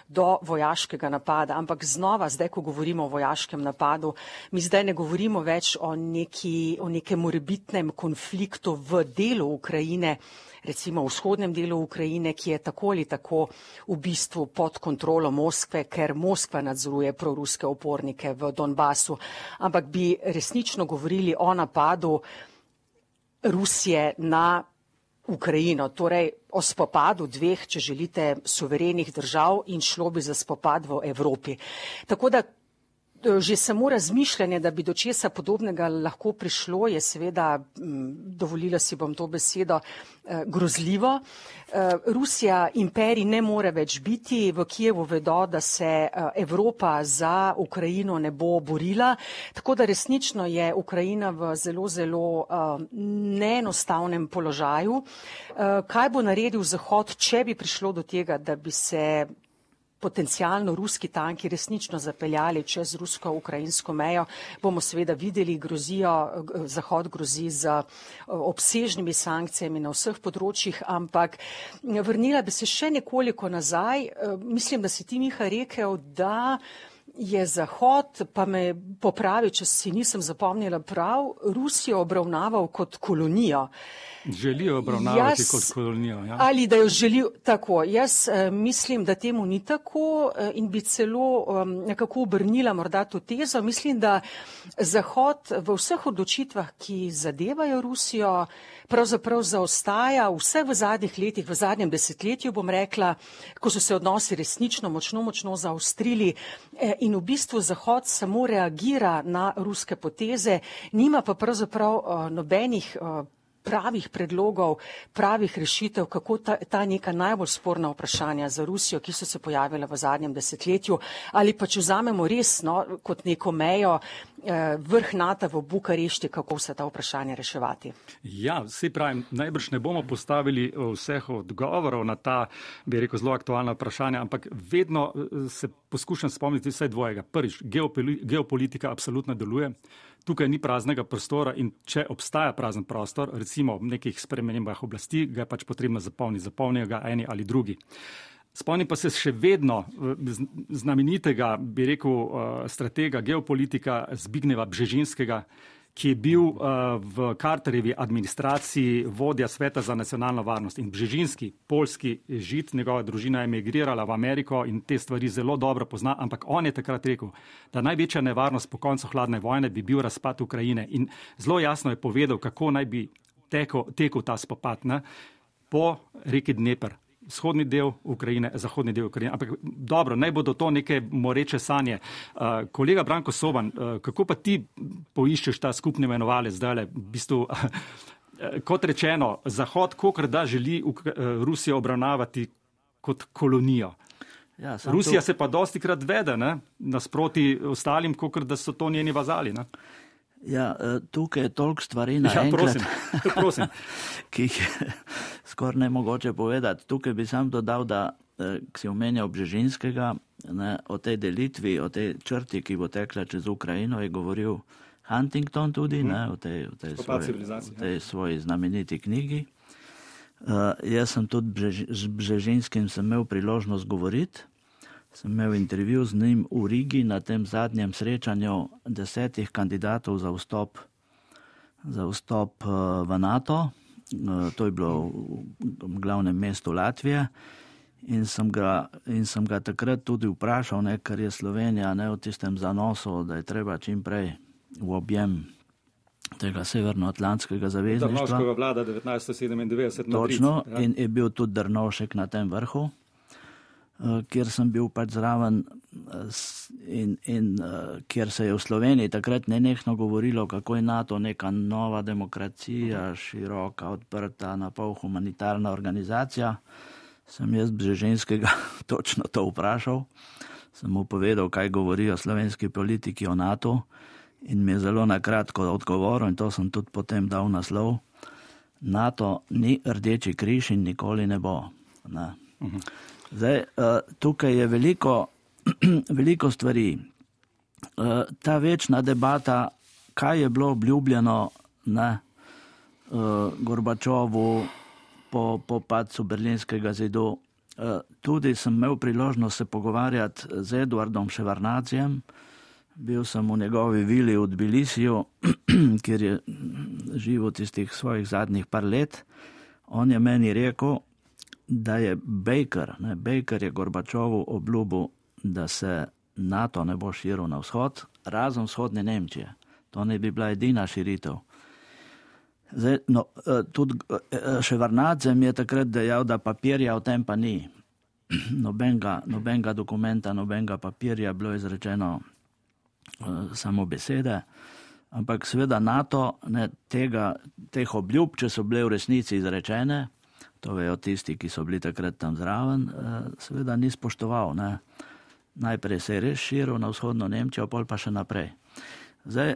do vojaškega napada, ampak znova, zdaj, ko govorimo o vojaškem napadu, mi zdaj ne govorimo več o, neki, o nekem morebitnem konfliktu v delu Ukrajine, recimo v vzhodnem delu Ukrajine, ki je tako ali tako v bistvu pod kontrolo Moskve, ker Moskva nadzoruje proruske upornike v Donbasu, ampak bi resnično govorili o napadu Rusije na Ukrajino, torej o spopadu dveh, če želite, suverenih držav in šlo bi za spopad v Evropi. Tako da že samo razmišljanje, da bi do česa podobnega lahko prišlo, je seveda, dovolila si bom to besedo, grozljivo. Rusija imperij ne more več biti, v Kijevu vedo, da se Evropa za Ukrajino ne bo borila, tako da resnično je Ukrajina v zelo, zelo neenostavnem položaju. Kaj bo naredil Zahod, če bi prišlo do tega, da bi se potencialno ruski tanki resnično zapeljali čez rusko-ukrajinsko mejo, bomo seveda videli, grozijo, Zahod grozi z obsežnimi sankcijami na vseh področjih, ampak vrnila bi se še nekoliko nazaj. Mislim, da si ti, Miha, rekel, da je Zahod, pa me popravi, če si nisem zapomnila prav, Rusijo obravnaval kot kolonijo. Želijo obravnavati jaz, kot kolonijo. Ja. Ali da jo želijo tako. Jaz uh, mislim, da temu ni tako uh, in bi celo um, nekako obrnila morda to tezo. Mislim, da Zahod v vseh odločitvah, ki zadevajo Rusijo, pravzaprav zaostaja vse v zadnjih letih, v zadnjem desetletju, bom rekla, ko so se odnosi resnično močno, močno zaostrili eh, in v bistvu Zahod samo reagira na ruske poteze, nima pa pravzaprav uh, nobenih uh, pravih predlogov, pravih rešitev, kako ta, ta neka najbolj sporna vprašanja za Rusijo, ki so se pojavila v zadnjem desetletju, ali pa če vzamemo resno kot neko mejo eh, vrh NATO v Bukarešti, kako se ta vprašanja reševati. Ja, vsi pravim, najbrž ne bomo postavili vseh odgovorov na ta, bi rekel, zelo aktualna vprašanja, ampak vedno se poskušam spomniti vsaj dvojega. Prvič, geopolitika absolutno deluje. Tukaj ni praznega prostora in če obstaja prazen prostor, recimo v nekih spremembah oblasti, ga je pač potrebno zapolniti, zapolnijo ga eni ali drugi. Spomnim pa se še vedno znamenitega, bi rekel, stratega geopolitika Zbigneva Bžežinskega, ki je bil v Carterjevi administraciji vodja Sveta za nacionalno varnost. In Bžežinski, poljski Žid, njegova družina je emigrirala v Ameriko in te stvari zelo dobro pozna, ampak on je takrat rekel, da največja nevarnost po koncu hladne vojne bi bil razpad Ukrajine. In zelo jasno je povedal, kako naj bi tekel, tekel ta spopad, ne? Po reki Dneper. Vzhodni del Ukrajine, zahodni del Ukrajine. Ampak dobro, naj bodo to neke moreče sanje. Uh, kolega Branko Soban, uh, kako pa ti poiščeš ta skupni imenovalec zdaj? V bistvu, uh, kot rečeno, Zahod kolikor da želi uh, Rusijo obravnavati kot kolonijo. Ja, Rusija to... se pa dostikrat vede, ne? Nasproti ostalim, kolikor da so to njeni vazali. Ne? Ja, tukaj je toliko stvari Ja, naenkrat, prosim, prosim. ki jih je skoraj nemogoče povedati. Tukaj bi sam dodal, da ki si omenjal Bžežinskega, ne, o tej delitvi, o tej črti, ki bo tekla čez Ukrajino, je govoril Huntington tudi, hmm. ne, o tej, o tej, svoji, o tej svoji znameniti knjigi. Uh, jaz sem tudi Bžež, z Bžežinskim sem imel priložnost govoriti. Sem imel intervju z njim v Rigi na tem zadnjem srečanju desetih kandidatov za vstop, za vstop uh, v NATO. Uh, to je bilo v glavnem mestu Latvije. In sem ga, in sem ga takrat tudi vprašal, ne, ker je Slovenija ne, v tistem zanosu, da je treba čim prej v objem tega severnoatlantskega zavezništva. Drnovškova vlada devetnajststo sedemindevetdeset. Točno, ja. In je bil tudi Drnovšek na tem vrhu, kjer sem bil pač zraven in, in kjer se je v Sloveniji takrat nenehno govorilo, kako je NATO neka nova demokracija, široka, odprta, napol humanitarna organizacija. Sem jaz Bžežinskega točno to vprašal. Sem mu povedal, kaj govorijo slovenski politiki o NATO. In mi je zelo nakratko odgovoril, in to sem tudi potem dal naslov, NATO ni Rdeči križ in nikoli ne bo. Ne. Zdaj, tukaj je veliko, veliko stvari. Ta večna debata, kaj je bilo obljubljeno ne, Gorbačovu po, po padcu Berlinskega zidu. Tudi sem imel priložnost se pogovarjati z Eduardom Ševarnacijem. Bil sem v njegovi vili v Tbilisiju, kjer je živel tistih svojih zadnjih par let. On je meni rekel, da je Baker, ne, Baker je Gorbačovu obljubil, da se NATO ne bo širil na vzhod, razen vzhodne Nemčije. To ne bi bila edina širitev. Zdaj, no, tudi Ševarnadze mi je takrat dejal, da papirja o tem pa ni. Nobenega, nobenega dokumenta, nobenega papirja bilo izrečeno samo besede, ampak seveda NATO ne, tega, teh obljub, če so bile v resnici izrečene, to vejo tisti, ki so bili takrat tam zraven, seveda ni spoštoval. Ne. Najprej se je res širil na vzhodno Nemčijo, pol pa še naprej. Zdaj,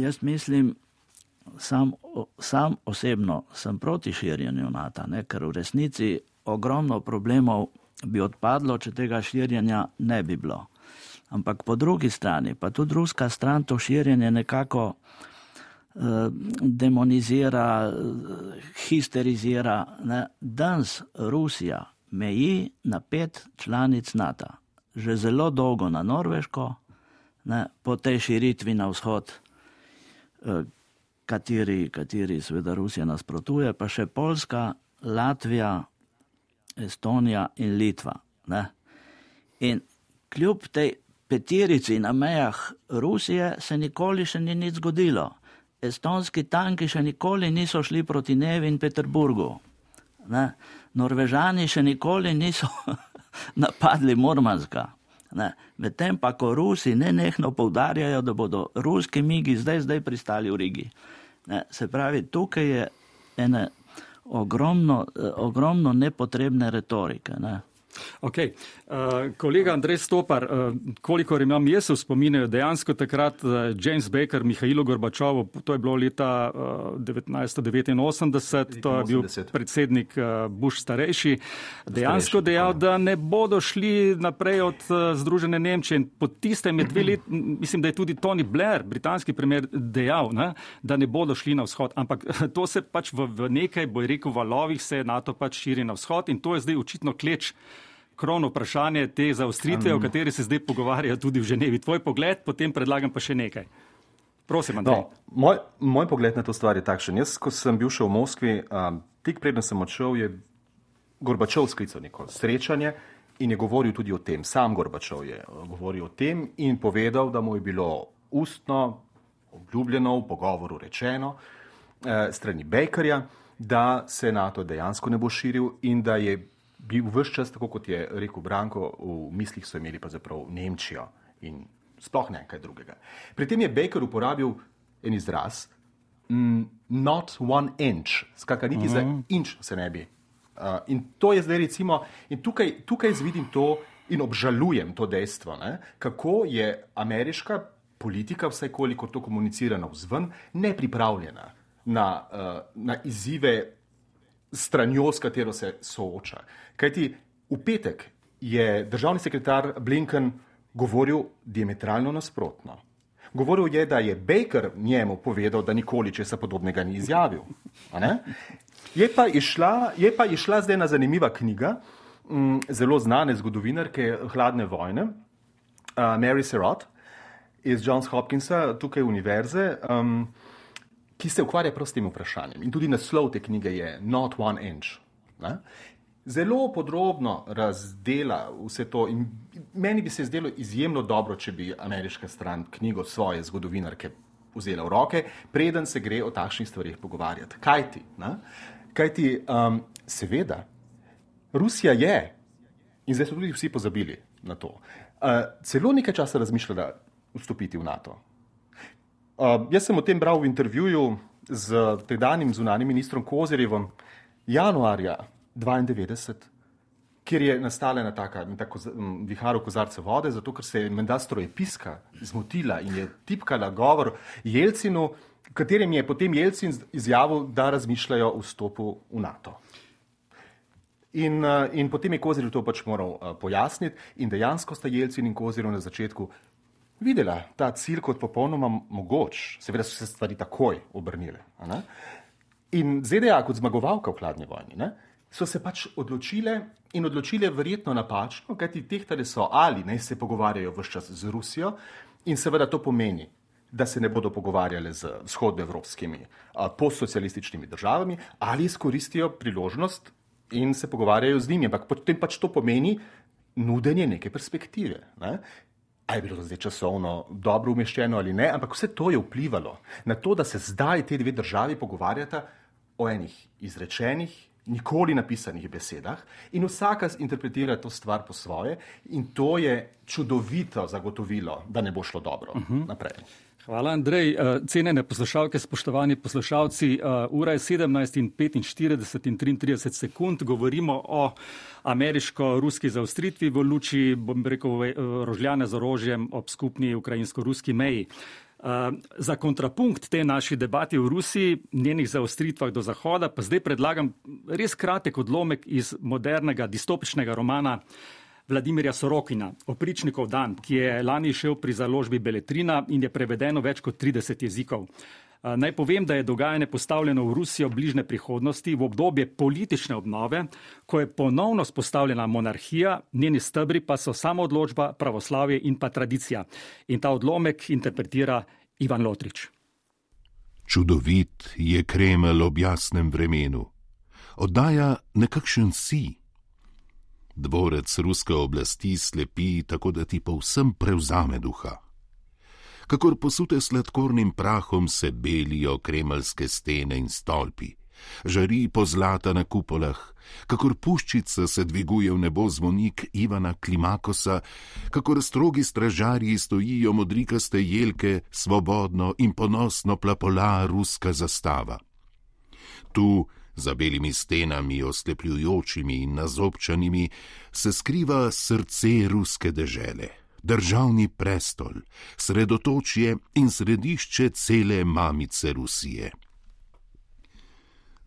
jaz mislim, sam, sam osebno sem proti širjenju NATO, ne, ker v resnici ogromno problemov bi odpadlo, če tega širjenja ne bi bilo. Ampak po drugi strani, pa tudi ruska stran to širjenje nekako eh, demonizira, histerizira. Ne. Danes Rusija meji na pet članic NATO. Že zelo dolgo na Norveško, ne, po tej širitvi na vzhod, eh, kateri, kateri seveda Rusija nasprotuje, pa še Poljska, Latvija, Estonija in Litva. Ne. In kljub tej peterici na mejah Rusije se nikoli še ni nič zgodilo. Estonski tanki še nikoli niso šli proti Nevi in Peterburgu. Ne? Norvežani še nikoli niso napadli Murmanska. Medtem pa, ko Rusi nenehno poudarjajo, da bodo ruski migi zdaj, zdaj pristali v Rigi. Ne? Se pravi, tukaj je ene ogromno, ogromno nepotrebne retorike. Ne? Ok, uh, kolega Andrej Stopar, uh, kolikor imam jaz v spominju, dejansko takrat uh, James Baker, Mihajlo Gorbačovu, to je bilo leta uh, devetnajststo devetinosemdeset, to je bil predsednik uh, Bush starejši, dejansko starejši, dejal, da ne bodo šli naprej od uh, Združene Nemčije. In po tistem je dve let, mislim, da je tudi Tony Blair, britanski premier, dejal, ne, da ne bodo šli na vzhod. Ampak to se pač v, v nekaj, boj rekel, valovih se NATO pač širi na vzhod in to je zdaj očitno kleč krovno vprašanje te zaostritve, um, o kateri se zdaj pogovarjajo tudi v Ženevi. Tvoj pogled, potem predlagam pa še nekaj. Prosim, Andrej. No, moj, moj pogled na to stvar je takšen. Jaz, ko sem bil še v Moskvi, um, tik preden sem odšel, je Gorbačov sklical neko srečanje in je govoril tudi o tem. Sam Gorbačov je govoril o tem in povedal, da mu je bilo ustno, obljubljeno, v pogovoru rečeno eh, strani Bakerja, da se NATO dejansko ne bo širil in da je bil vse čas, tako kot je rekel Branko, v mislih so imeli pa zaprav Nemčijo in sploh ne kaj drugega. Pri tem je Baker uporabil en izraz, mm, not one inch, skratka niti uh-huh. za inč se ne bi. Uh, in to je zdaj recimo, in tukaj, tukaj vidim to in obžalujem to dejstvo, ne, kako je ameriška politika, vsaj koliko to komunicira navzven, nepripravljena na, uh, na izzive stranjo, s katero se sooča. Kajti V petek je državni sekretar Blinken govoril diametralno nasprotno. Govoril je, da je Baker njemu povedal, da nikoli česa podobnega ni izjavil. A ne? Je pa išla, je pa išla zdaj ena zanimiva knjiga, m, zelo znane zgodovinarke hladne vojne, uh, Mary Surratt iz Johns Hopkinsa, tukaj univerze, um, ki se ukvarja prav s tem vprašanjem. In tudi naslov te knjige je Not One Inch. Ne? Zelo podrobno razdela vse to in meni bi se zdelo izjemno dobro, če bi ameriška stran knjigo svoje zgodovinarke vzela v roke, preden se gre o takšnih stvarih pogovarjati. Kaj ti? Ne? Kaj ti, um, seveda, Rusija je, in zdaj so tudi vsi pozabili na to, uh, celo nekaj časa razmišljala vstopiti v NATO. Uh, jaz sem o tem bral v intervjuju z tedanjim zunanjim ministrom Kozerjevom januarja dvaindevetdeset, kjer je nastala ena taka, ena tako vihar v kozarce vode, zato ker se je menda strojepiska zmotila in je tipkala govor Jelcinu, katerim je potem Jelcin izjavil, da razmišljajo o vstopu v NATO. In, in potem je Kozerjev to pač moral pojasniti in dejansko sta Jelcin in Kozerjev na začetku videla ta cilj kot popolnoma mogoč. Seveda so se stvari takoj obrnile. Ne? In Z D A kot zmagovalka v hladni vojni, ne? so se pač odločile in odločile verjetno napačno, kajti tehtale so ali naj se pogovarjajo vse čas z Rusijo in seveda to pomeni, da se ne bodo pogovarjale z vzhodnoevropskimi postsocialističnimi državami ali izkoristijo priložnost in se pogovarjajo z njimi, ampak potem pač to pomeni nudenje neke perspektive. Ne? A je bilo to zdaj časovno dobro umeščeno ali ne, ampak vse to je vplivalo na to, da se zdaj te dve državi pogovarjata o enih izrečenih, nikoli napisanih besedah in vsaka interpretira to stvar po svoje in to je čudovito zagotovilo, da ne bo šlo dobro uh-huh. naprej. Hvala, Andrej. Cenjene poslušalke, spoštovani poslušalci, ura je sedemnajst in petinštirideset in triintrideset sekund. Govorimo o ameriško-ruski zaostritvi v luči, bom rekel, rožljane z orožjem ob skupni ukrajinsko-ruski meji. Za kontrapunkt te naši debati v Rusiji, njenih zaostritvah do Zahoda, pa zdaj predlagam res kratek odlomek iz modernega distopičnega romana Vladimirja Sorokina, Opričnikov dan, ki je lani šel pri založbi Beletrina in je prevedeno več kot trideset jezikov. Naj povem, da je dogajanje postavljeno v Rusijo bližnje prihodnosti v obdobje politične obnove, ko je ponovno spostavljena monarhija, njeni stebri pa so samoodločba, pravoslavje in pa tradicija. In ta odlomek interpretira Ivan Lotrič. Čudovit je Kremelj ob jasnem vremenu. Oddaja nekakšen si. Dvorec ruske oblasti slepi, tako da ti povsem prevzame duha. Kakor posute sladkornim prahom se belijo kremeljske stene in stolpi, žari pozlata na kupolah, kakor puščica se dviguje v nebo zvonik Ivana Klimakosa, kakor strogi stražarji stojijo modrikaste jelke, svobodno in ponosno plapola ruska zastava. Tu, za belimi stenami, oslepljujočimi in nazobčanimi, se skriva srce ruske dežele. Državni prestol, sredotočje in središče cele mamice Rusije.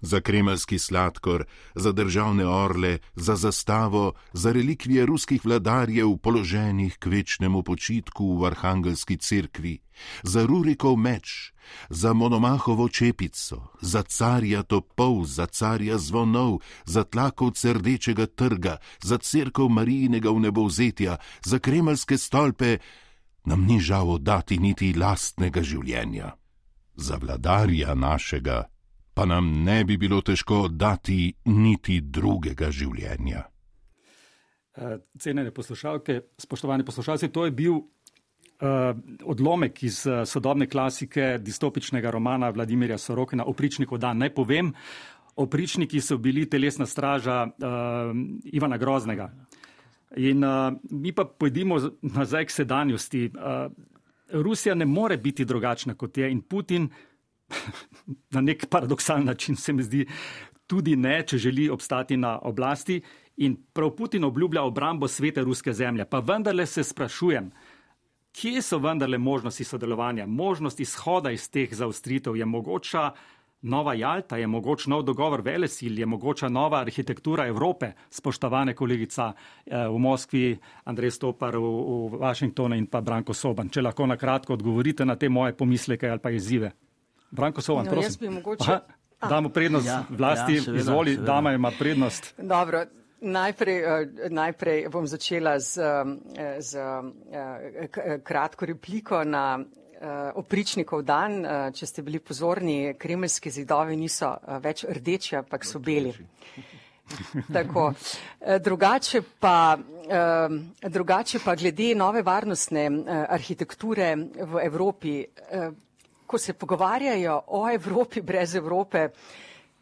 Za kremeljski sladkor, za državne orle, za zastavo, za relikvije ruskih vladarjev položenih k večnemu počitku v Arhangelski cerkvi, za Rurikov meč, za Monomahovo čepico, za carja topov, za carja zvonov, za tlakovce Rdečega trga, za cerkev Marijinega vnebovzetja, za kremeljske stolpe, nam ni žal oddati niti lastnega življenja. Za vladarja našega pa nam ne bi bilo težko oddati niti drugega življenja. Cenjene poslušalke, spoštovani poslušalci, to je bil uh, odlomek iz uh, sodobne klasike distopičnega romana Vladimirja Sorokina Opričnikov dan. Naj povem, opričniki so bili telesna straža uh, Ivana Groznega. In uh, mi pa pojdimo nazaj k sedanjosti. Uh, Rusija ne more biti drugačna kot je in Putin na nek paradoksalen način se mi zdi tudi ne, če želi obstati na oblasti in prav Putin obljublja obrambo svete ruske zemlje. Pa vendarle se sprašujem, kje so vendarle možnosti sodelovanja, možnost izhoda iz teh zaostritev, je mogoča Nova Jalta, je mogoč nov dogovor velesil, je mogoča nova arhitektura Evrope, spoštovane kolegica v Moskvi, Andrej Stopar v, v Washingtonu in pa Branko Soban. Če lahko na kratko odgovorite na te moje pomisleke ali pa izzive. Branko Soban, no, prosim. Jaz bi mogoče... Aha, damo prednost ja, vlasti, ja, seveda, izvoli, seveda. Dama ima prednost. Dobro. Najprej, najprej bom začela z, z kratko repliko na opričnikov dan. Če ste bili pozorni, kremeljski zidovi niso več rdeči, ampak so beli. Tako. Drugače pa, drugače pa glede nove varnostne arhitekture v Evropi, ko se pogovarjajo o Evropi brez Evrope,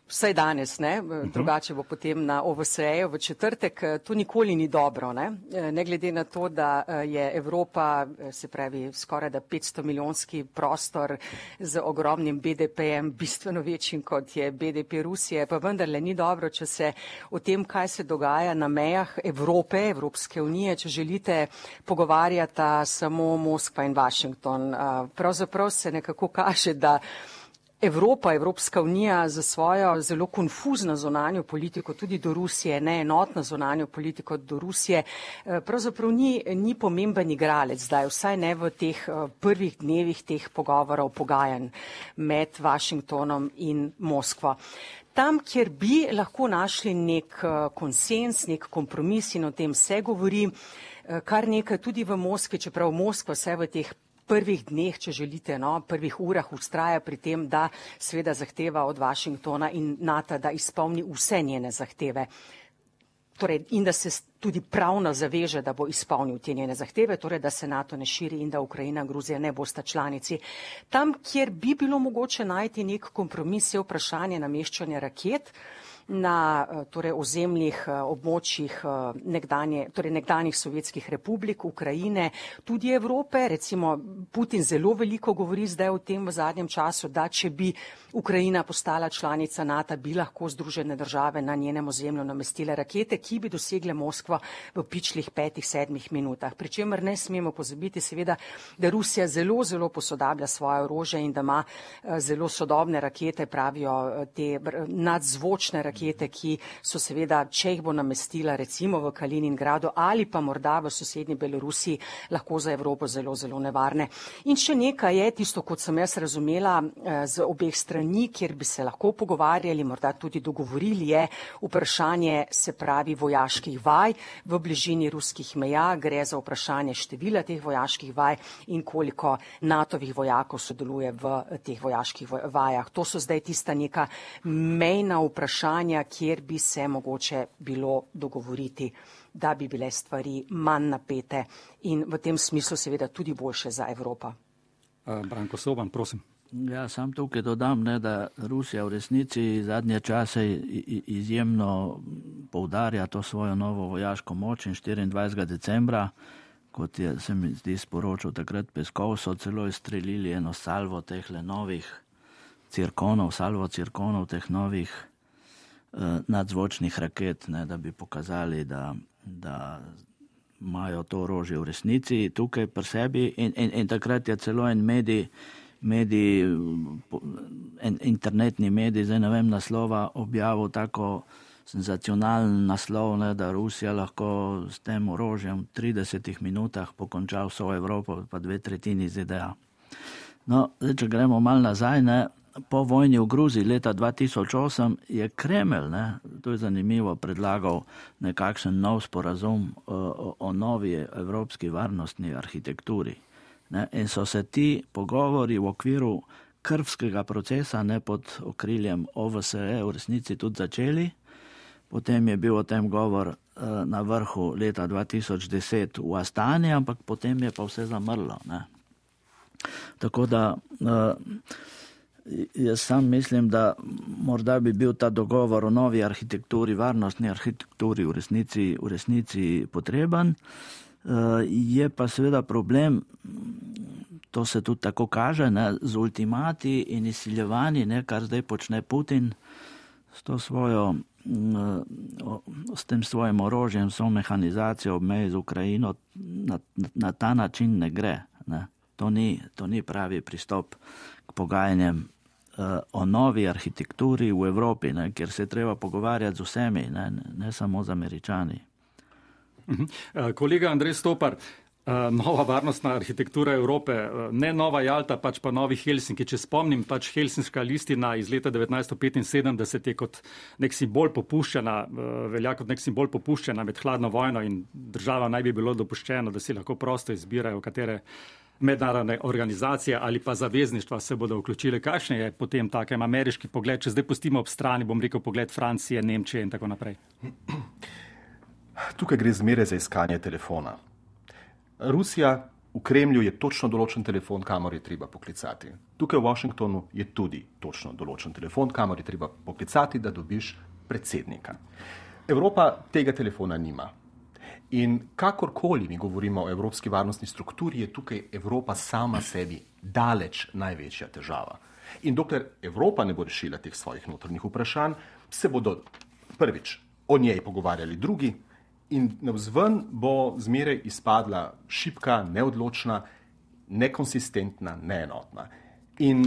vsaj danes, ne? Drugače bo potem na O V S E-ju v četrtek, to nikoli ni dobro, ne? Ne glede na to, da je Evropa, se pravi skoraj da petsto milijonski prostor z ogromnim B D P-jem, bistveno večjim kot je B D P Rusije, pa vendarle ni dobro, če se o tem, kaj se dogaja na mejah Evrope, Evropske unije, če želite, pogovarjata samo Moskva in Washington. Pravzaprav se nekako kaže, da Evropa, Evropska unija za svojo zelo konfuzno zunanjo politiko tudi do Rusije, neenotno zunanjo politiko do Rusije, pravzaprav ni, ni pomemben igralec zdaj, vsaj ne v teh prvih dnevih teh pogovorov, pogajanj med Washingtonom in Moskvo. Tam, kjer bi lahko našli nek konsens, nek kompromis, in o tem se govori, kar nekaj tudi v Moskvi, čeprav Moskva vse v teh prvih dneh, če želite, no, prvih urah ustraja pri tem, da seveda zahteva od Washingtona in NATO, da izpolni vse njene zahteve. Torej, in da se tudi pravno zaveže, da bo izpolnil te njene zahteve, torej, da se NATO ne širi in da Ukrajina in Gruzija ne bosta članici. Tam, kjer bi bilo mogoče najti nek kompromis, je vprašanje nameščanja raket na torej, ozemljih, območjih nekdanje, torej nekdanjih sovjetskih republik, Ukrajine, tudi Evrope. Recimo Putin zelo veliko govori zdaj o tem v zadnjem času, da če bi Ukrajina postala članica NATO, bi lahko Združene države na njenem ozemlju namestile rakete, ki bi dosegle Moskvo v pičlih petih, sedmih minutah. Pričemer ne smemo pozabiti seveda, da Rusija zelo, zelo posodablja svoje orožje in da ima zelo sodobne rakete, pravijo te nadzvočne rakete, rakete, ki so seveda, če jih bo namestila recimo v Kaliningradu ali pa morda v sosednji Belorusiji, lahko za Evropo zelo, zelo nevarne. In še nekaj je tisto, kot sem jaz razumela z obeh strani, kjer bi se lahko pogovarjali, morda tudi dogovorili, je vprašanje, se pravi, vojaških vaj v bližini ruskih meja. Gre za vprašanje števila teh vojaških vaj in koliko natovih vojakov sodeluje v teh vojaških vajah. To so zdaj tista neka mejna vprašanja, kjer bi se mogoče bilo dogovoriti, da bi bile stvari manj napete in v tem smislu seveda tudi boljše za Evropo. Branko Soban, prosim. Ja, sam tukaj dodam, ne, da Rusija v resnici zadnje čase izjemno poudarja to svojo novo vojaško moč in štiriindvajsetega decembra, kot je, se mi zdi, sporočil takrat Peskov, so celo izstrelili eno salvo tehle novih cirkonov, salvo cirkonov teh novih nadzvočnih raket, ne, da bi pokazali, da, da imajo to orožje v resnici tukaj pri sebi in, in, in takrat je celo en medij, medij en internetni medij, zdaj ne vem naslova, objavil tako senzacionalen naslov, ne, da Rusija lahko s tem orožjem v tridesetih minutah pokonča vso Evropo, pa dve tretjini Z D A. No, zdaj, če gremo malo nazaj, ne, po vojni v Gruziji leta dva tisoč osem je Kremelj, ne, to je zanimivo, predlagal nekakšen nov sporazum o, o novi evropski varnostni arhitekturi. Ne, in so se ti pogovori v okviru krvskega procesa, ne, pod okriljem O V S E v resnici tudi začeli. Potem je bil o tem govor uh, na vrhu leta dva tisoč deset v Astani, ampak potem je pa vse zamrlo. Ne. Tako da uh, jaz sam mislim, da morda bi bil ta dogovor o novi arhitekturi, varnostni arhitekturi v resnici, v resnici potreben. Je pa seveda problem, to se tudi tako kaže, ne, z ultimati in izsiljevanji, ne, kar zdaj počne Putin s to svojo, s tem svojim orožjem, s mehanizacijo ob meji z Ukrajino, na, na ta način ne gre. Ne. To ni, to ni pravi pristop k pogajanjem o novi arhitekturi v Evropi, ne, kjer se je treba pogovarjati z vsemi, ne, ne samo z Američani. Uh-huh. Kolega Andrej Stopar, nova varnostna arhitektura Evrope, ne nova Jalta, pač pa novi Helsinki. Če spomnim, pač Helsinška listina iz leta devetnajststo petinsedemdeset je kot nek simbol popuščena, velja kot nek simbol popuščena med hladno vojno in država naj bi bilo dopuščeno, da si lahko prosto izbirajo, katere mednarodne organizacije ali pa zavezništva se bodo vključile. Kakšen je potem takem ameriški pogled, če zdaj pustimo ob strani, bom rekel, pogled Francije, Nemčije in tako naprej? Tukaj gre zmeraj za iskanje telefona. Rusija v Kremlju je točno določen telefon, kamor je treba poklicati. Tukaj v Washingtonu je tudi točno določen telefon, kamor je treba poklicati, da dobiš predsednika. Evropa tega telefona nima. In kakorkoli mi govorimo o evropski varnostni strukturi, je tukaj Evropa sama sebi daleč največja težava. In dokler Evropa ne bo rešila teh svojih notranjih vprašanj, se bodo prvič o njej pogovarjali drugi, in navzven bo zmeraj izpadla šibka, neodločna, nekonsistentna, neenotna. In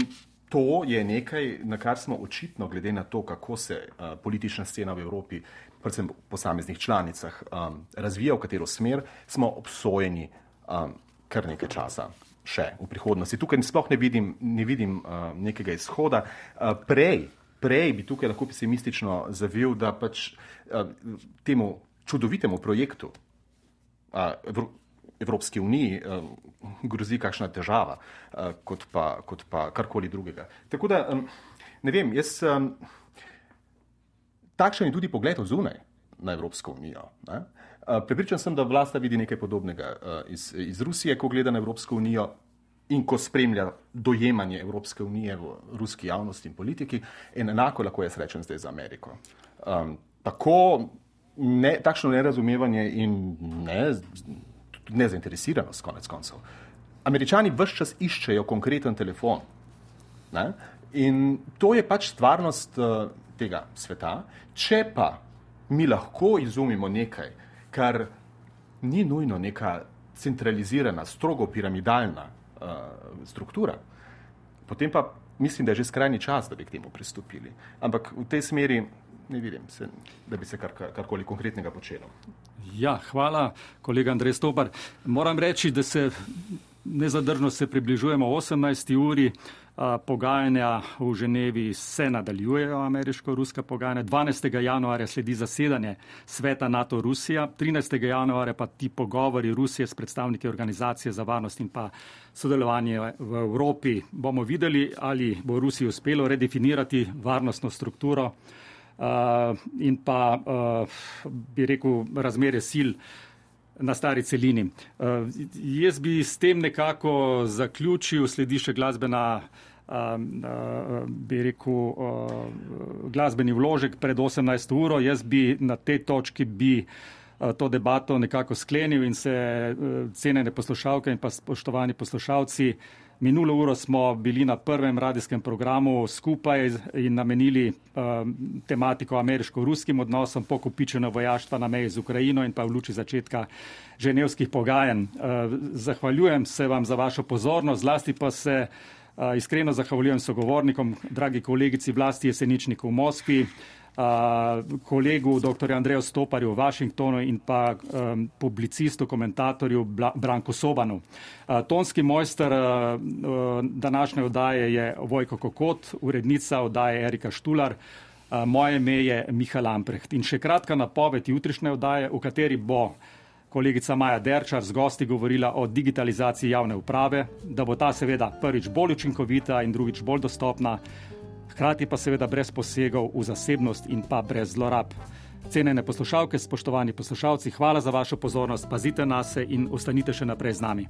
to je nekaj, na kar smo očitno, glede na to, kako se uh, politična scena v Evropi, predvsem v posameznih članicah, um, razvija, v katero smer, smo obsojeni um, kar nekaj časa še v prihodnosti. Tukaj sploh ne vidim, ne vidim uh, nekega izhoda. Uh, prej, prej bi tukaj lahko pesimistično zavil, da pač uh, temu čudovitemu projektu Evropske unije grozi kakšna težava, kot pa, kot pa karkoli drugega. Tako da, ne vem, jaz takšen je tudi pogled od zunaj na Evropsko unijo. Ne? Prepričan sem, da vlasta vidi nekaj podobnega iz, iz Rusije, ko gleda na Evropsko unijo in ko spremlja dojemanje Evropske unije v ruski javnosti in politiki, in enako lahko jaz rečem zdaj za Ameriko. Um, tako Ne, takšno nerazumevanje in ne, nezainteresiranost, konec koncev. Američani ves čas iščejo konkreten telefon. Ne? In to je pač stvarnost uh, tega sveta. Če pa mi lahko izumimo nekaj, kar ni nujno neka centralizirana, strogo piramidalna uh, struktura, potem pa mislim, da je že skrajni čas, da bi k temu pristopili. Ampak v tej smeri ne vidim, se, da bi se kar, karkoli konkretnega počelo. Ja, hvala, kolega Andrej Stopar. Moram reči, da se nezadržno se približujemo osemnajsti uri. A, pogajanja v Ženevi se nadaljujejo, ameriško-ruska pogajanja. dvanajstega januarja sledi zasedanje sveta NATO-Rusija. trinajstega januarja pa ti pogovori Rusije s predstavniki Organizacije za varnost in pa sodelovanje v Evropi. Bomo videli, ali bo Rusiji uspelo redefinirati varnostno strukturo Uh, in pa, uh, bi rekel, razmere sil na stari celini. Uh, jaz bi s tem nekako zaključil, sledi še glasbena, uh, uh, bi rekel, uh, glasbeni vložek pred osemnajsto uro. Jaz bi na tej točki bi uh, to debato nekako sklenil in se uh, cenjene poslušalke in pa spoštovani poslušalci, minulo uro smo bili na prvem radijskem programu skupaj in namenili uh, tematiko ameriško-ruskim odnosom, pokopičeno vojaštva na meji z Ukrajino in pa v luči začetka ženevskih pogajanj. Uh, zahvaljujem se vam za vašo pozornost, zlasti pa se uh, iskreno zahvaljujem sogovornikom, dragi kolegici Vlasti Jeseničniku v Moskvi, Uh, kolegu dr. Andreju Stoparju v Washingtonu in pa um, publicistu, komentatorju Bla, Branku Sobanu. Uh, tonski mojster uh, uh, današnje oddaje je Vojko Kokot, urednica oddaje Erika Štular, uh, moje ime je Miha Lamprecht. In še kratka napoved jutrišnje oddaje, v kateri bo kolegica Maja Derčar z gosti govorila o digitalizaciji javne uprave, da bo ta seveda prvič bolj učinkovita in drugič bolj dostopna, hkrati pa seveda brez posegov v zasebnost in pa brez zlorab. Cenjene poslušalke, spoštovani poslušalci, hvala za vašo pozornost, pazite nase in ostanite še naprej z nami.